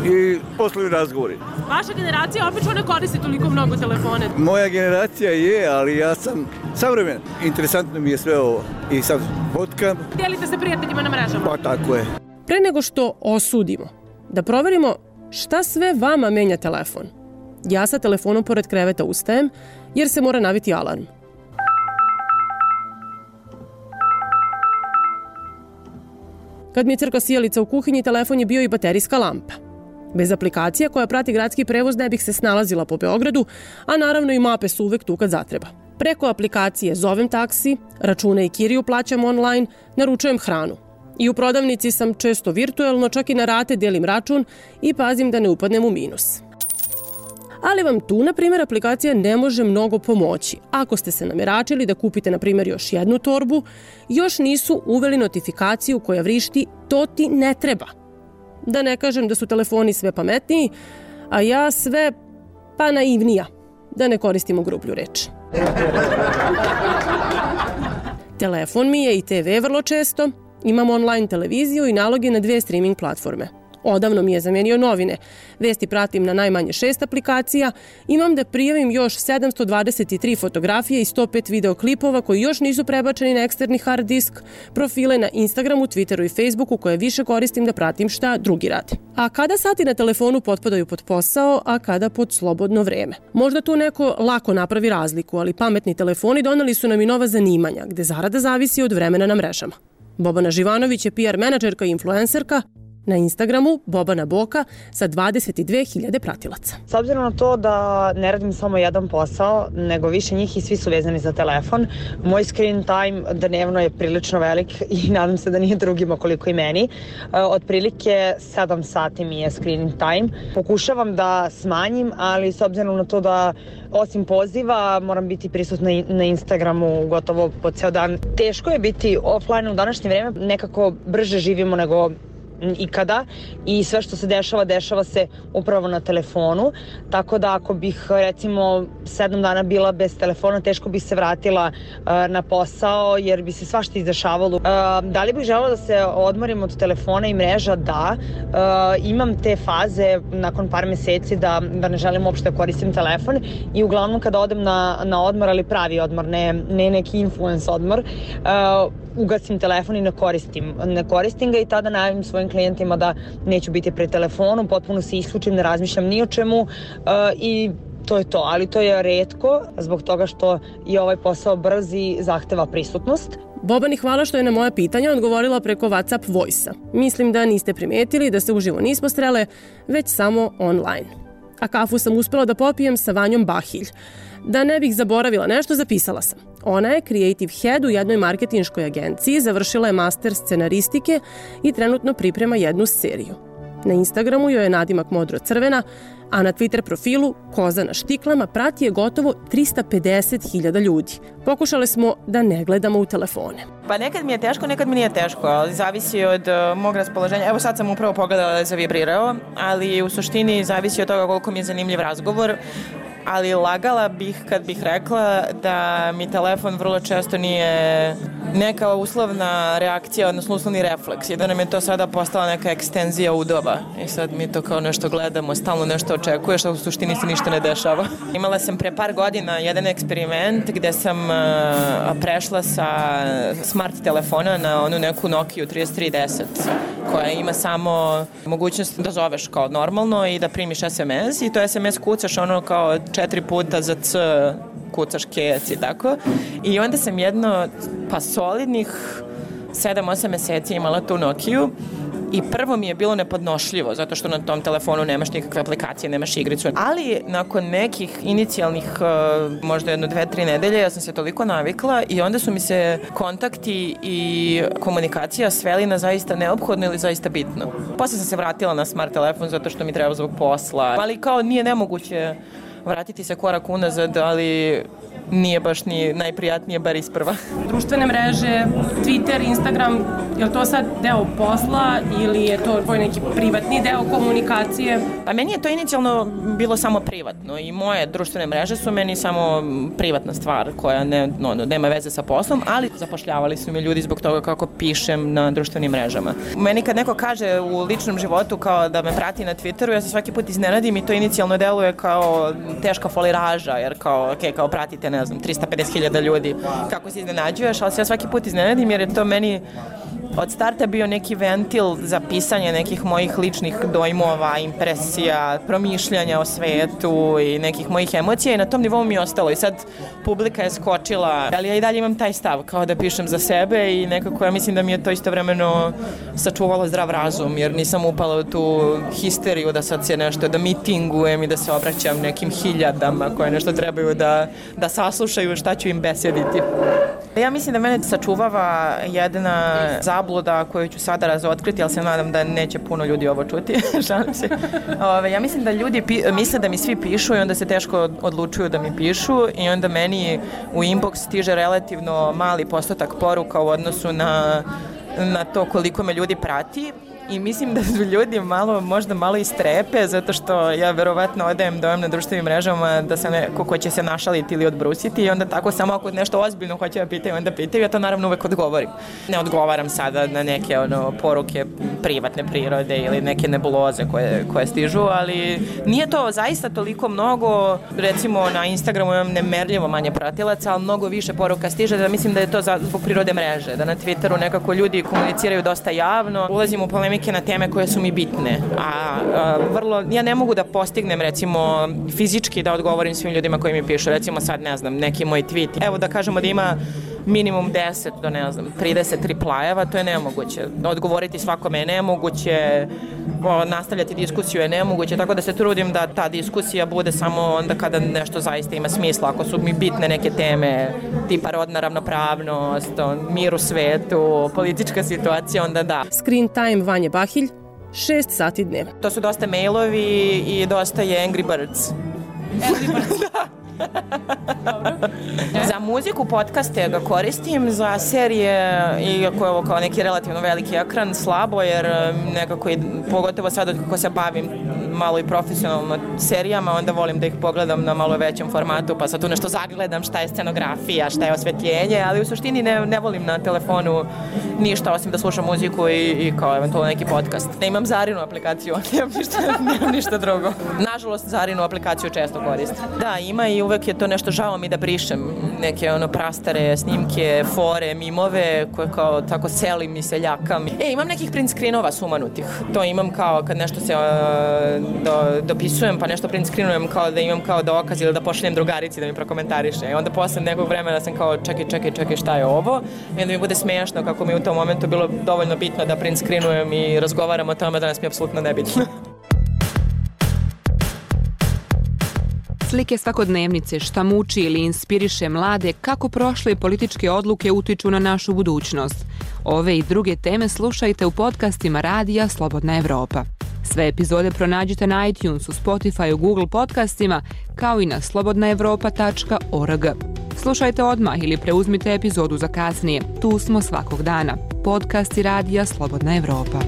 i poslovni razgovori. Vaša generacija obično ne koristi toliko mnogo telefone. Moja generacija je, ali ja sam savremen. Interesantno mi je sve ovo. I sad fotkam. Dijelite se prijateljima na mrežama. Pa tako je. Pre nego što osudimo, da proverimo šta sve vama menja telefon. Ja sa telefonom pored kreveta ustajem, jer se mora naviti alarm. Kad mi je crkla sijalica u kuhinji, telefon je bio i baterijska lampa. Bez aplikacija koja prati gradski prevoz ne bih se snalazila po Beogradu, a naravno i mape su uvek tu kad zatreba. Preko aplikacije zovem taksi, račune i kiriju plaćam online, naručujem hranu. I u prodavnici sam često virtuelno, čak i na rate delim račun i pazim da ne upadnem u minus. Ali vam tu, na primjer, aplikacija ne može mnogo pomoći. Ako ste se nameračili da kupite, na primjer, još jednu torbu, još nisu uveli notifikaciju koja vrišti "to ti ne treba". Da ne kažem da su telefoni sve pametniji, a ja sve pa naivnija, da ne koristimo grublju reč. Telefon mi je i te ve vrlo često, imam online televiziju i naloge na dve streaming platforme. Odavno mi je zamenio novine. Vesti pratim na najmanje šest aplikacija. Imam da prijavim još sedamsto dvadeset tri fotografije i sto pet videoklipova koji još nisu prebačeni na eksterni hard disk, profile na Instagramu, Twitteru i Facebooku koje više koristim da pratim šta drugi rade. A kada sati na telefonu potpadaju pod posao, a kada pod slobodno vreme? Možda tu neko lako napravi razliku, ali pametni telefoni doneli su nam i nova zanimanja, gde zarada zavisi od vremena na mrežama. Bobana Živanović je P R menadžerka i influencerka, Na Instagramu Bobana Boka sa dvadeset dve hiljade pratilaca. S obzirom na to da ne radim samo jedan posao, nego više njih i svi su vezani za telefon, moj screen time dnevno je prilično velik i nadam se da nije drugima koliko i meni. Otprilike sedam sati mi je screen time. Pokušavam da smanjim, ali s obzirom na to da osim poziva moram biti prisutna na Instagramu gotovo po ceo dan. Teško je biti offline u današnje vreme, nekako brže živimo nego ikada i sve što se dešava, dešava se upravo na telefonu, tako da ako bih recimo sedam dana bila bez telefona, teško bih se vratila uh, na posao jer bi se svašta izdešavalo. Uh, da li bih želela da se odmorim od telefona i mreža? Da. Uh, imam te faze nakon par meseci da, da ne želim uopšte koristim telefon i uglavnom kada odem na, na odmor, ali pravi odmor, ne, ne neki influence odmor, uh, ugasim telefon i ne koristim, ne koristim ga i tada najavim svojim klijentima da neću biti pred telefonom, potpuno se isključim, ne razmišljam ni o čemu uh, i to je to, ali to je retko zbog toga što je ovaj posao brz i zahteva prisutnost. Bobani, hvala što je na moja pitanja odgovorila preko WhatsApp Voice-a. Mislim da niste primetili da se uživo nismo srele, već samo online. A kafu sam uspela da popijem sa Vanjom Bahilj. Da ne bih zaboravila nešto, zapisala sam. Ona je creative head u jednoj marketinškoj agenciji, završila je master scenaristike i trenutno priprema jednu seriju. Na Instagramu joj je nadimak modro-crvena, a na Twitter profilu Koza na štiklama prati je gotovo trista pedeset hiljada ljudi. Pokušale smo da ne gledamo u telefone. Pa nekad mi je teško, nekad mi nije teško, ali zavisi od uh, mog raspoloženja. Evo sad sam upravo pogledala da je zavibrirao, ali u suštini zavisi od toga koliko mi je zanimljiv razgovor. Ali lagala bih kad bih rekla da mi telefon vrlo često nije neka uslovna reakcija, odnosno uslovni refleks i da nam je to sada postala neka ekstenzija udova. I sad mi to kao nešto gledamo, stalno nešto očekuješ, a u suštini se ništa ne dešava. Imala sam pre par godina jedan eksperiment gde sam uh, prešla sa smart telefona na onu neku Nokia trideset tri deset koja ima samo mogućnost da zoveš kao normalno i da primiš es em es i to es em es kucaš ono kao četiri puta za C, kucaš kec i tako. I onda sam jedno, pa solidnih sedam osam meseci imala tu Nokiju i prvo mi je bilo nepodnošljivo, zato što na tom telefonu nemaš nikakve aplikacije, nemaš igricu. Ali nakon nekih inicijalnih, možda jedno, dve, tri nedelje, ja sam se toliko navikla i onda su mi se kontakti i komunikacija sveli na zaista neophodno ili zaista bitno. Posle sam se vratila na smart telefon zato što mi treba zbog posla, ali kao nije nemoguće vratiti se korak unazad, ali nije baš ni najprijatnije, bar isprva. Društvene mreže, Twitter, Instagram, je li to sad deo posla ili je to tvoj neki privatni deo komunikacije? Pa meni je to inicijalno bilo samo privatno i moje društvene mreže su meni samo privatna stvar koja ne, no, nema veze sa poslom, ali zapošljavali su me ljudi zbog toga kako pišem na društvenim mrežama. Meni kad neko kaže u ličnom životu kao da me prati na Twitteru, ja se svaki put iznenadim i to inicijalno deluje kao teška foliraža, jer kao, okay, kao pratite, ne znam, trista pedeset hiljada ljudi, kako se iznenađuješ, ali se ja svaki put iznenadim jer je to meni od starta bio neki ventil za pisanje nekih mojih ličnih dojmova, impresija, promišljanja o svetu i nekih mojih emocija i na tom nivou mi je ostalo i sad publika je skočila, ali ja i dalje imam taj stav kao da pišem za sebe i nekako ja mislim da mi je to istovremeno sačuvalo zdrav razum jer nisam upala u tu histeriju da sad se nešto, da mitingujem i da se obraćam nekim hiljadama koje nešto trebaju da, da saslušaju šta ću im besediti. Ja mislim da mene sačuvava jedna zabluda koju ću sada razotkriti, ali se nadam da neće puno ljudi ovo čuti. Šalim se. Ove, ja mislim da ljudi pi, misle da mi svi pišu i onda se teško odlučuju da mi pišu i onda meni u inbox stiže relativno mali postotak poruka u odnosu na, na to koliko me ljudi prati. I mislim da su ljudi malo, možda malo istrepe, zato što ja verovatno odajem dojam na društvenim mrežama da sam neko ko će se našaliti ili odbrusiti i onda tako samo ako nešto ozbiljno hoće da pitaju, onda pitaju, ja to naravno uvek odgovorim. Ne odgovaram sada na neke ono, poruke privatne prirode ili neke nebuloze koje, koje stižu, ali nije to zaista toliko mnogo, recimo na Instagramu imam nemerljivo manje pratilaca, ali mnogo više poruka stiže, da mislim da je to zbog prirode mreže, da na Twitteru nekako ljudi komuniciraju dosta javno, ulazim u polemike polemike na teme koje su mi bitne. A, a vrlo, ja ne mogu da postignem recimo fizički da odgovorim svim ljudima koji mi pišu. Recimo sad ne znam, neki moj tweet. Evo da kažemo da ima minimum deset do ne znam, trideset replajeva, to je nemoguće. Odgovoriti svakome je nemoguće, nastavljati diskusiju je nemoguće, tako da se trudim da ta diskusija bude samo onda kada nešto zaista ima smisla. Ako su mi bitne neke teme, tipa rodna ravnopravnost, mir u svetu, politička situacija, onda da. Screen time Vanje Bahilj, šest sati dnevno. To su dosta mailovi i dosta je Angry Birds. Angry Birds, da. Za muziku, podcaste ga koristim, za serije, iako je ovo kao neki relativno veliki ekran, slabo, jer nekako, i, pogotovo sad kako se bavim malo i profesionalno serijama, onda volim da ih pogledam na malo većem formatu, pa sad tu nešto zagledam šta je scenografija, šta je osvetljenje, ali u suštini ne, ne volim na telefonu ništa osim da slušam muziku i, i kao eventualno neki podcast. Ne imam Zarinu aplikaciju, nemam ništa, nemam ništa drugo. Nažalost, Zarinu aplikaciju često koristim. Da, ima i uvek je to nešto, žao mi da brišem neke ono prastare snimke, fore, mimove koje kao tako selim i seljakam. E, imam nekih print screenova sumanutih. To imam kao kad nešto se uh, do, dopisujem pa nešto print screenujem kao da imam kao dokaz ili da pošaljem drugarici da mi prokomentariše. I onda posle nekog vremena sam kao čekaj, čekaj, čekaj šta je ovo? I onda mi bude smiješno kako mi u tom momentu bilo dovoljno bitno da print screenujem i razgovaram o tome, danas mi je apsolutno nebitno. Slike svakodnevnice, šta muči ili inspiriše mlade, kako prošle političke odluke utiču na našu budućnost. Ove i druge teme slušajte u podcastima Radija Slobodna Evropa. Sve epizode pronađite na iTunesu, Spotifyu, Google podcastima, kao i na slobodna evropa tačka org. Slušajte odmah ili preuzmite epizodu za kasnije. Tu smo svakog dana. Podcasti Radija Slobodna Evropa.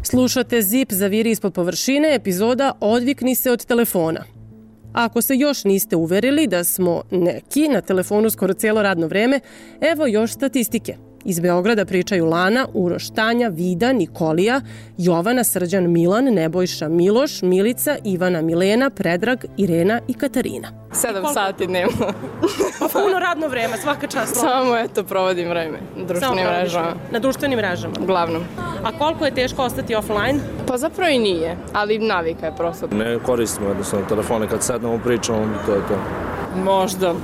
Slušate Zip zaviri ispod površine, epizoda Odvikni se od telefona. Ako se još niste uverili da smo neki na telefonu skoro cijelo radno vreme, evo još statistike. Iz Beograda pričaju Lana, Uroš, Tanja, Vida, Nikolija, Jovana, Srđan, Milan, Nebojša, Miloš, Milica, Ivana, Milena, Predrag, Irena i Katarina. Sedam sati dnevno. Pa puno radno vreme, svaka čast. Samo eto provodim vreme na društvenim mrežama. Na društvenim mrežama? Uglavnom. A koliko je teško ostati offline? Pa zapravo i nije, ali navika je prosto. Ne koristimo jednostavno telefone, kad sednemo pričamo, to je to. Možda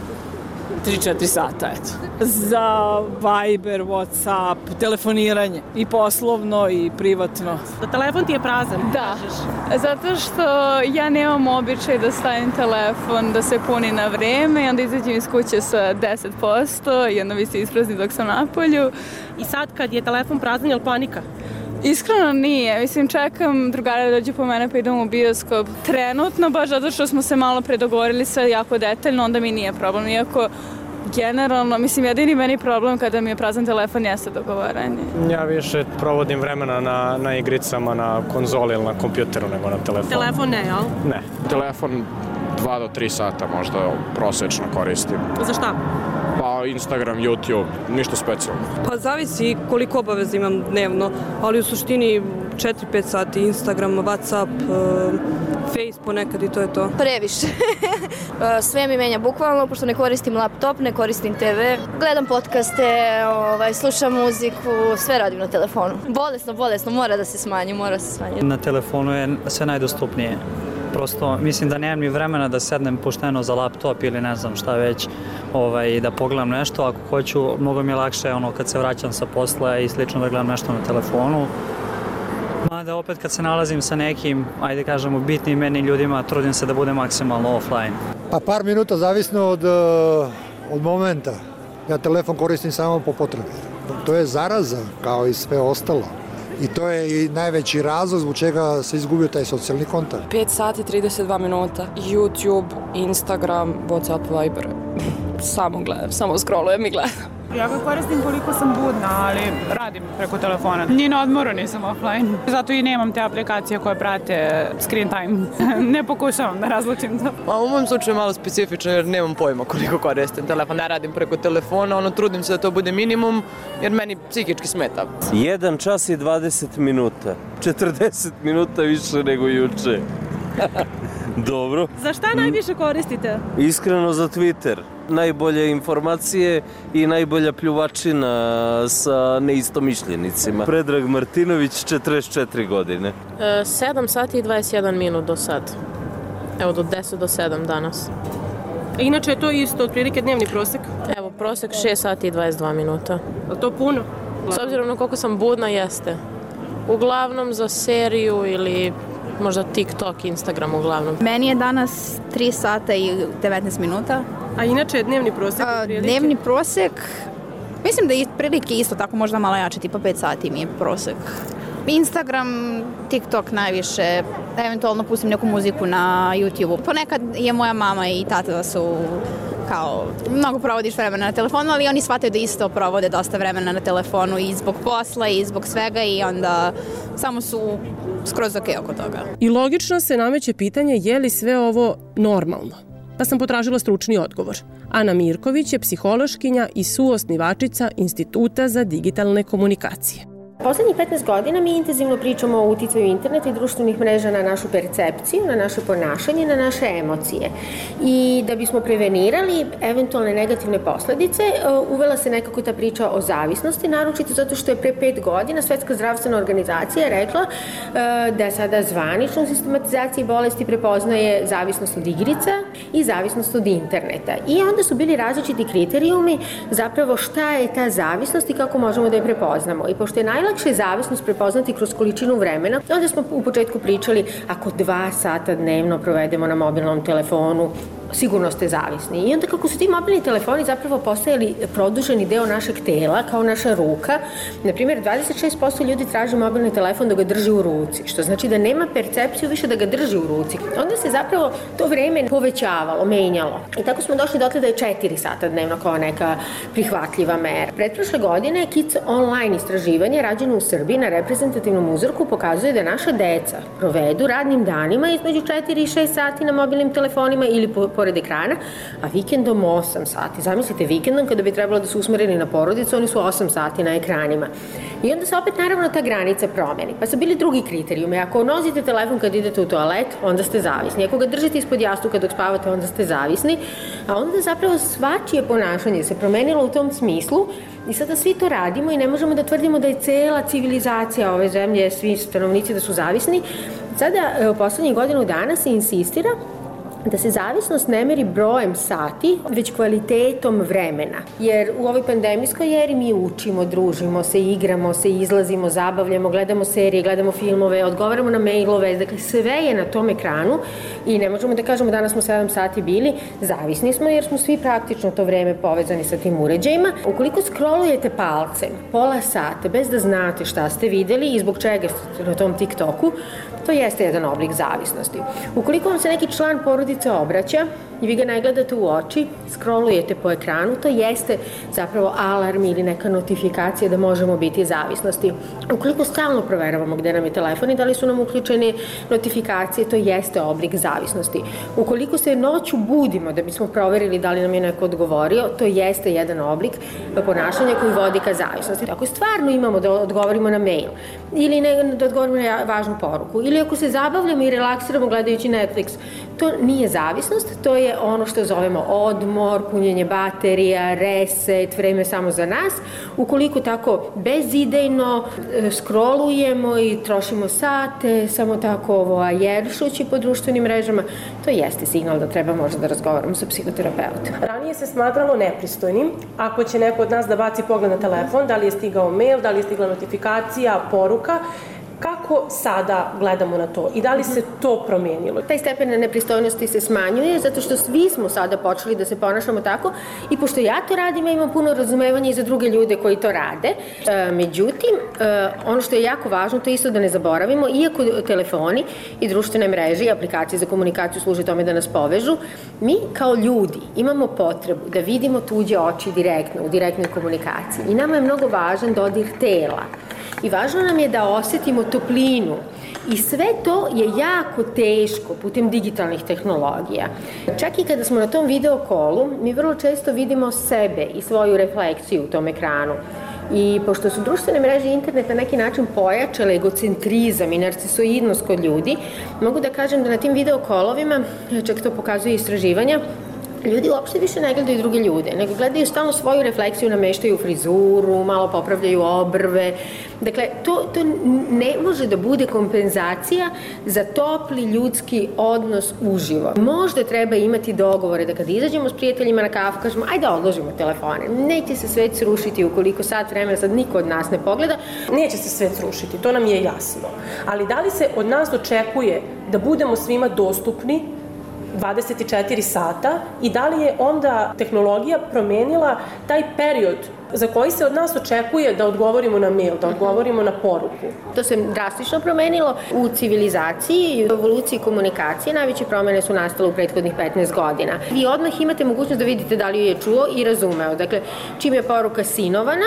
tri četiri sata, eto. Za Viber, Whatsapp, telefoniranje. I poslovno i privatno. Da telefon ti je prazan? Da, zato što ja nemam običaj da stavim telefon da se puni na vreme i onda izađem iz kuće sa deset posto i onda mi se isprazni dok sam napolju. I sad kad je telefon prazan, je li panika? Iskreno nije, mislim čekam drugara da dođe po mene pa idem u bioskop. Trenutno, baš zato što smo se malo predogovorili sve jako detaljno, onda mi nije problem, iako generalno, mislim jedini meni problem kada mi je prazan telefon jeste dogovaranje. Ja više provodim vremena na, na igricama, na konzoli ili na kompjuteru nego na telefonu. Telefon ne, jel? Ne, telefon dva do tri sata možda prosečno koristim. Za šta? Pa Instagram, YouTube, ništa specijalno. Pa zavisi koliko obaveza imam dnevno, ali u suštini četiri pet sati Instagram, Whatsapp, Face ponekad i to je to. Previše. Sve mi menja bukvalno, pošto ne koristim laptop, ne koristim te ve, gledam podcaste, ovaj, slušam muziku, sve radim na telefonu. Bolesno, bolesno, mora da se smanji, mora se smanji. Na telefonu je sve najdostupnije. Prosto mislim da nemam ni vremena da sednem pošteno za laptop ili ne znam šta već, ovaj, da pogledam nešto. Ako hoću, mnogo mi je lakše ono, kad se vraćam sa posla i slično da gledam nešto na telefonu. Mada opet kad se nalazim sa nekim, ajde kažemo, bitnim meni ljudima, trudim se da budem maksimalno offline. Pa par minuta zavisno od, od momenta. Ja telefon koristim samo po potrebi. To je zaraza kao i sve ostalo. I to je i najveći razlog zbog čega se izgubio taj socijalni kontakt. pet sati trideset dva minuta. YouTube, Instagram, Whatsapp, Viber. Samo gledam, samo scrollujem i gledam. Ja ga koristim koliko sam budna, ali radim preko telefona. Ni na odmoru nisam offline. Zato i nemam te aplikacije koje prate screen time. Ne pokušavam da razlučim to. A u mom slučaju je malo specifično jer nemam pojma koliko koristim telefon. Ne radim preko telefona, ono trudim se da to bude minimum jer meni psihički smeta. jedan čas i dvadeset minuta. četrdeset minuta više nego juče. Dobro. Za šta najviše koristite? Iskreno za Twitter. najbolje informacije i najbolja pljuvačina sa neistomišljenicima. Predrag Martinović, četrdeset četiri godine. E, sedam sati i dvadeset jedan minut do sad. Evo, do deset do sedam danas. Inače je to isto, otprilike dnevni prosek? Evo, prosek šest sati i dvadeset dva minuta. Je to puno? S obzirom na koliko sam budna, jeste. Uglavnom za seriju ili možda TikTok, Instagram uglavnom. Meni je danas tri sata i devetnaest minuta. A inače je dnevni prosek? A, dnevni prosek, mislim da je prilike isto tako, možda malo jače, tipa pet sati mi je prosek. Instagram, TikTok najviše, eventualno pustim neku muziku na YouTube-u. Ponekad je moja mama i tata da su kao, mnogo provodiš vremena na telefonu, ali oni shvataju da isto provode dosta vremena na telefonu i zbog posla i zbog svega i onda samo su skroz ok oko toga. I logično se nameće pitanje je li sve ovo normalno? Pa sam potražila stručni odgovor. Ana Mirković je psihološkinja i suosnivačica Instituta za digitalne komunikacije. Poslednjih petnaest godina mi intenzivno pričamo o uticaju interneta i društvenih mreža na našu percepciju, na naše ponašanje, na naše emocije. I da bismo prevenirali eventualne negativne posledice, uvela se nekako ta priča o zavisnosti, naročito zato što je pre pet godina Svetska zdravstvena organizacija rekla da sada zvanično u sistematizaciji bolesti prepoznaje zavisnost od igrica i zavisnost od interneta. I onda su bili različiti kriterijumi zapravo šta je ta zavisnost i kako možemo da je prepoznamo. I pošto je najlakše zavisnost prepoznati kroz količinu vremena, onda smo u početku pričali ako dva sata dnevno provedemo na mobilnom telefonu, sigurno ste zavisni. I onda kako su ti mobilni telefoni zapravo postajali produženi deo našeg tela, kao naša ruka, na primjer dvadeset šest posto ljudi traži mobilni telefon da ga drži u ruci, što znači da nema percepciju više da ga drži u ruci. Onda se zapravo to vreme povećavalo, menjalo. I tako smo došli dotle da je četiri sata dnevno kao neka prihvatljiva mera. Pretprošle godine Kids Online istraživanje rađeno u Srbiji na reprezentativnom uzorku pokazuje da naša deca provedu radnim danima između četiri i šest sati na mobilnim telefonima ili po pored ekrana, a vikendom osam sati. Zamislite, vikendom kada bi trebalo da su usmereni na porodicu, oni su osam sati na ekranima. I onda se opet naravno ta granica promeni. Pa su bili drugi kriterijumi. Ako nosite telefon kad idete u toalet, onda ste zavisni. Ako ga držite ispod jastuka dok spavate, onda ste zavisni. A onda zapravo svačije ponašanje se promenilo u tom smislu i sada svi to radimo i ne možemo da tvrdimo da je cela civilizacija ove zemlje, svi stanovnici da su zavisni. Sada, u poslednjih godinu dana se insistira da se zavisnost ne meri brojem sati, već kvalitetom vremena. Jer u ovoj pandemijskoj eri mi učimo, družimo se, igramo se, izlazimo, zabavljamo, gledamo serije, gledamo filmove, odgovaramo na mailove, dakle sve je na tom ekranu i ne možemo da kažemo danas smo sedam sati bili, zavisni smo jer smo svi praktično to vreme povezani sa tim uređajima. Ukoliko scrollujete palcem pola sata bez da znate šta ste videli i zbog čega ste na tom TikToku, to jeste jedan oblik zavisnosti. Ukoliko vam se neki član porodice obraća i vi ga ne gledate u oči, scrollujete po ekranu, to jeste zapravo alarm ili neka notifikacija da možemo biti zavisnosti. Ukoliko stalno proveravamo gde nam je telefon i da li su nam uključene notifikacije, to jeste oblik zavisnosti. Ukoliko se noću budimo da bismo proverili da li nam je neko odgovorio, to jeste jedan oblik ponašanja koji vodi ka zavisnosti. Ako stvarno imamo da odgovorimo na mail ili ne, da odgovorimo na važnu poruku ili ako se zabavljamo i relaksiramo gledajući Netflix, to nije zavisnost, to je ono što zovemo odmor, punjenje baterija, reset, vreme samo za nas. Ukoliko tako bezidejno scrollujemo i trošimo sate, samo tako ovo ajeršući po društvenim mrežama, to jeste signal da treba možda da razgovaramo sa psihoterapeutom. Ranije se smatralo nepristojnim ako će neko od nas da baci pogled na telefon, da li je stigao mail, da li je stigla notifikacija, poruka. Kako sada gledamo na to i da li se to promenilo? Taj stepen nepristojnosti se smanjuje zato što svi smo sada počeli da se ponašamo tako i pošto ja to radim, ja imam puno razumevanja i za druge ljude koji to rade. E, međutim, e, ono što je jako važno, to je isto da ne zaboravimo, iako telefoni i društvene mreže i aplikacije za komunikaciju služe tome da nas povežu, mi kao ljudi imamo potrebu da vidimo tuđe oči direktno, u direktnoj komunikaciji i nama je mnogo važan dodir tela. I važno nam je da osetimo toplinu i sve to je jako teško putem digitalnih tehnologija. Čak i kada smo na tom video kolu, mi vrlo često vidimo sebe i svoju refleksiju u tom ekranu. I pošto su društvene mreže i internet na neki način pojačale egocentrizam i narcisoidnost kod ljudi, mogu da kažem da na tim video kolovima, čak to pokazuje istraživanja, ljudi uopšte više ne gledaju druge ljude, nego gledaju stalno svoju refleksiju, nameštaju frizuru, malo popravljaju obrve. Dakle, to, to ne može da bude kompenzacija za topli ljudski odnos uživo. Možda treba imati dogovore da kad izađemo s prijateljima na kafu, kažemo, ajde odložimo telefone. Neće se svet srušiti ukoliko sat vremena sad niko od nas ne pogleda. Neće se svet srušiti, to nam je jasno. Ali da li se od nas očekuje da budemo svima dostupni dvadeset četiri sata i da li je onda tehnologija promenila taj period za koji se od nas očekuje da odgovorimo na mail, da odgovorimo na poruku? To se drastično promenilo u civilizaciji i u evoluciji komunikacije. Najveće promene su nastale u prethodnih petnaest godina. Vi odmah imate mogućnost da vidite da li ju je čuo i razumeo. Dakle, čim je poruka sinovana,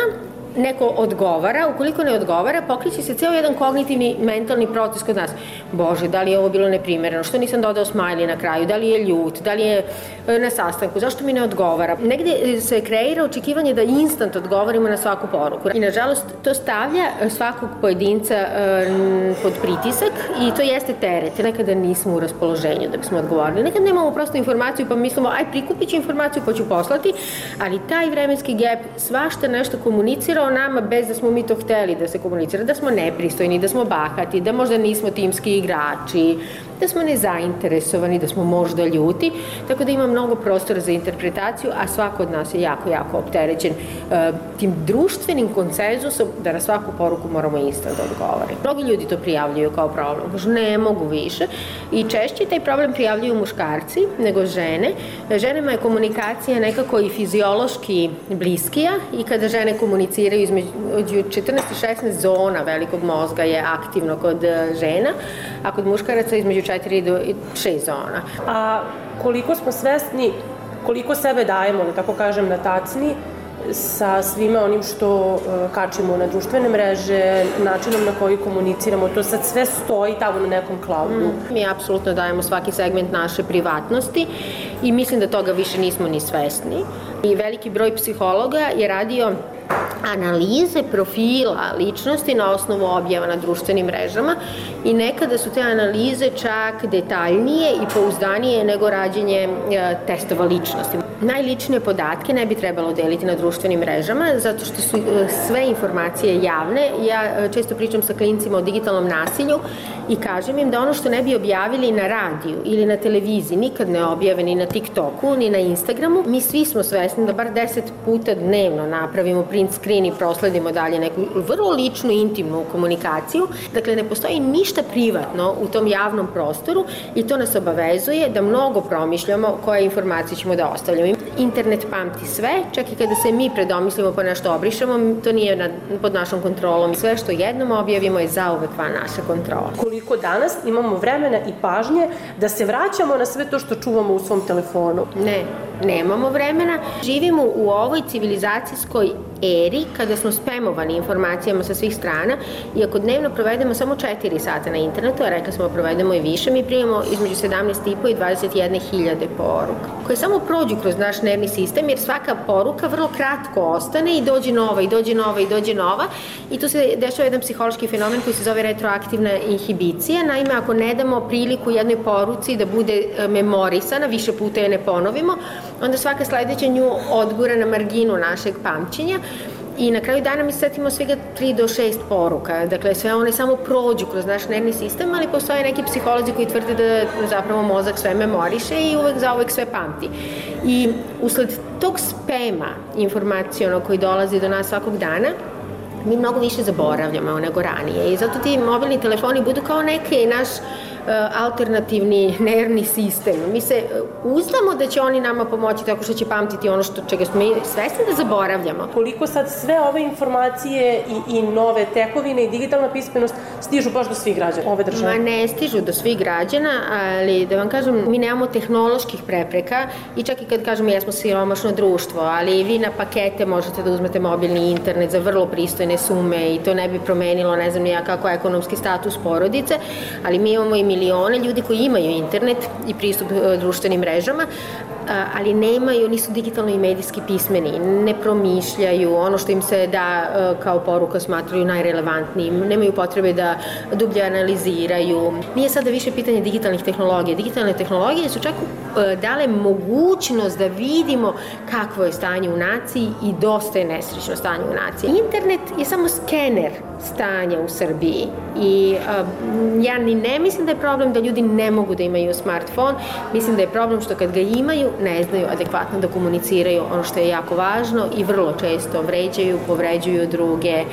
neko odgovara, ukoliko ne odgovara, pokreće se ceo jedan kognitivni mentalni proces kod nas. Bože, da li je ovo bilo neprimereno, što nisam dodao smajli na kraju, da li je ljut, da li je na sastanku, zašto mi ne odgovara. Negde se kreira očekivanje da instant odgovorimo na svaku poruku. I nažalost, to stavlja svakog pojedinca pod pritisak i to jeste teret. Nekada nismo u raspoloženju da bismo odgovorili. Nekad nemamo prosto informaciju pa mislimo, aj prikupit ću informaciju pa ću poslati, ali taj vremenski gap svašta nešto komunicira o nama bez da smo mi to hteli da se komunicira, da smo nepristojni, da smo bahati, da možda nismo timski igrači, da smo nezainteresovani, da smo možda ljuti, tako da ima mnogo prostora za interpretaciju, a svako od nas je jako, jako opterećen uh, tim društvenim konsenzusom da na svaku poruku moramo instant da odgovore. Mnogi ljudi to prijavljuju kao problem, kažu ne mogu više i češće taj problem prijavljuju muškarci nego žene. Ženama je komunikacija nekako i fiziološki bliskija i kada žene komuniciraju između četrnaest i šesnaest zona velikog mozga je aktivno kod žena, a kod muškaraca između četiri do šest zona. A koliko smo svesni, koliko sebe dajemo, da tako kažem, na tacni sa svime onim što uh, kačimo na društvene mreže, načinom na koji komuniciramo, to sad sve stoji tamo na nekom cloudu. Mm. Mi apsolutno dajemo svaki segment naše privatnosti i mislim da toga više nismo ni svesni. I veliki broj psihologa je radio analize profila ličnosti na osnovu objava na društvenim mrežama i nekada su te analize čak detaljnije i pouzdanije nego rađenje e, testova ličnosti. Najličnije podatke ne bi trebalo deliti na društvenim mrežama zato što su e, sve informacije javne. Ja e, često pričam sa klincima o digitalnom nasilju i kažem im da ono što ne bi objavili na radiju ili na televiziji nikad ne objave ni na TikToku ni na Instagramu. Mi svi smo svesni da bar deset puta dnevno napravimo print screen i prosledimo dalje neku vrlo ličnu, intimnu komunikaciju. Dakle, ne postoji ništa privatno u tom javnom prostoru i to nas obavezuje da mnogo promišljamo koje informacije ćemo da ostavljamo. Internet pamti sve, čak i kada se mi predomislimo pa nešto obrišemo, to nije nad, pod našom kontrolom. Sve što jednom objavimo je zauvek van naše kontrole. Koliko danas imamo vremena i pažnje da se vraćamo na sve to što čuvamo u svom telefonu? Ne, nemamo vremena. Živimo u ovoj civilizacijskoj eri kada smo spamovani informacijama sa svih strana i ako dnevno provedemo samo četiri sata na internetu, a rekli smo provedemo i više, mi primamo između sedamnaest i po i dvadeset jedne hiljade poruka koje samo prođu kroz naš nervni sistem jer svaka poruka vrlo kratko ostane i dođe nova i dođe nova i dođe nova i tu se dešava jedan psihološki fenomen koji se zove retroaktivna inhibicija. Naime, ako ne damo priliku jednoj poruci da bude memorisana, više puta je ne ponovimo, onda svaka sledeća nju odgura na marginu našeg pamćenja i na kraju dana mi se setimo svega tri do šest poruka. Dakle, sve one samo prođu kroz naš nervni sistem, ali postoje neki psiholozi koji tvrde da zapravo mozak sve memoriše i uvek zauvek sve pamti. I usled tog spema informacijonog koji dolazi do nas svakog dana, mi mnogo više zaboravljamo nego ranije i zato ti mobilni telefoni budu kao neki naš alternativni nervni sistem. Mi se uzdamo da će oni nama pomoći tako što će pamtiti ono što, čega smo mi svesni da zaboravljamo. Koliko sad sve ove informacije i, i nove tekovine i digitalna pismenost stižu baš do svih građana ove države? Ma ne stižu do svih građana, ali da vam kažem, mi nemamo tehnoloških prepreka i čak i kad kažemo jesmo siromašno društvo, ali vi na pakete možete da uzmete mobilni internet za vrlo pristojne sume i to ne bi promenilo, ne znam ja kako ekonomski status porodice, ali mi imamo i milione ljudi koji imaju internet i pristup društvenim mrežama, ali nemaju, nisu digitalno i medijski pismeni, ne promišljaju, ono što im se da kao poruka smatraju najrelevantnijim, nemaju potrebe da dublje analiziraju. Nije sada više pitanje digitalnih tehnologija. Digitalne tehnologije su čak dale mogućnost da vidimo kakvo je stanje u naciji i dosta je nesrećno stanje u naciji. Internet je samo skener stanja u Srbiji i uh, ja ni ne mislim da je problem da ljudi ne mogu da imaju smartfon, mislim da je problem što kad ga imaju ne znaju adekvatno da komuniciraju ono što je jako važno i vrlo često vređaju, povređuju druge,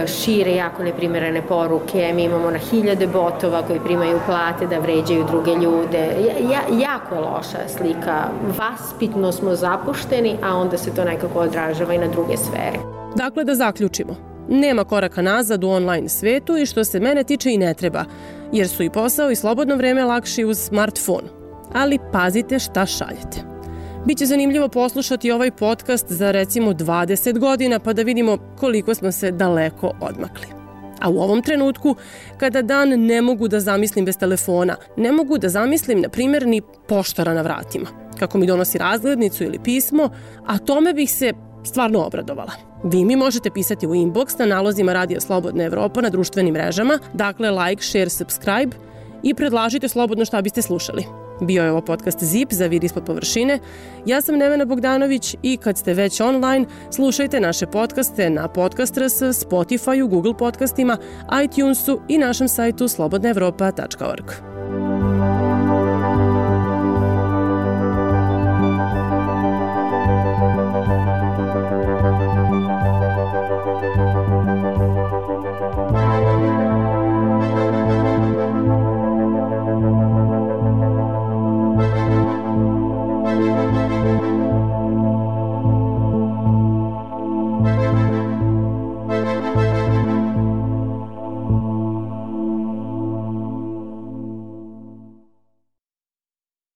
šire jako neprimerene poruke, mi imamo na hiljade botova koji primaju plate da vređaju druge ljude, ja, jako je loša slika, vaspitno smo zapušteni, a onda se to nekako odražava i na druge sfere. Dakle, da zaključimo. Nema koraka nazad u online svetu i što se mene tiče i ne treba, jer su i posao i slobodno vreme lakši uz smartfon. Ali pazite šta šaljete. Biće zanimljivo poslušati ovaj podcast za recimo dvadeset godina pa da vidimo koliko smo se daleko odmakli. A u ovom trenutku, kada dan ne mogu da zamislim bez telefona, ne mogu da zamislim, na primjer, ni poštara na vratima, kako mi donosi razglednicu ili pismo, a tome bih se stvarno obradovala. Vi mi možete pisati u inbox na nalozima Radija Slobodna Evropa na društvenim mrežama, dakle like, share, subscribe i predlažite slobodno šta biste slušali. Bio je ovo podcast Zip za Vid ispod površine. Ja sam Nevena Bogdanović i kad ste već online, slušajte naše podcaste na Podcast R S, Spotify-u, Google podcastima, iTunesu i našem sajtu slobodna evropa tačka org.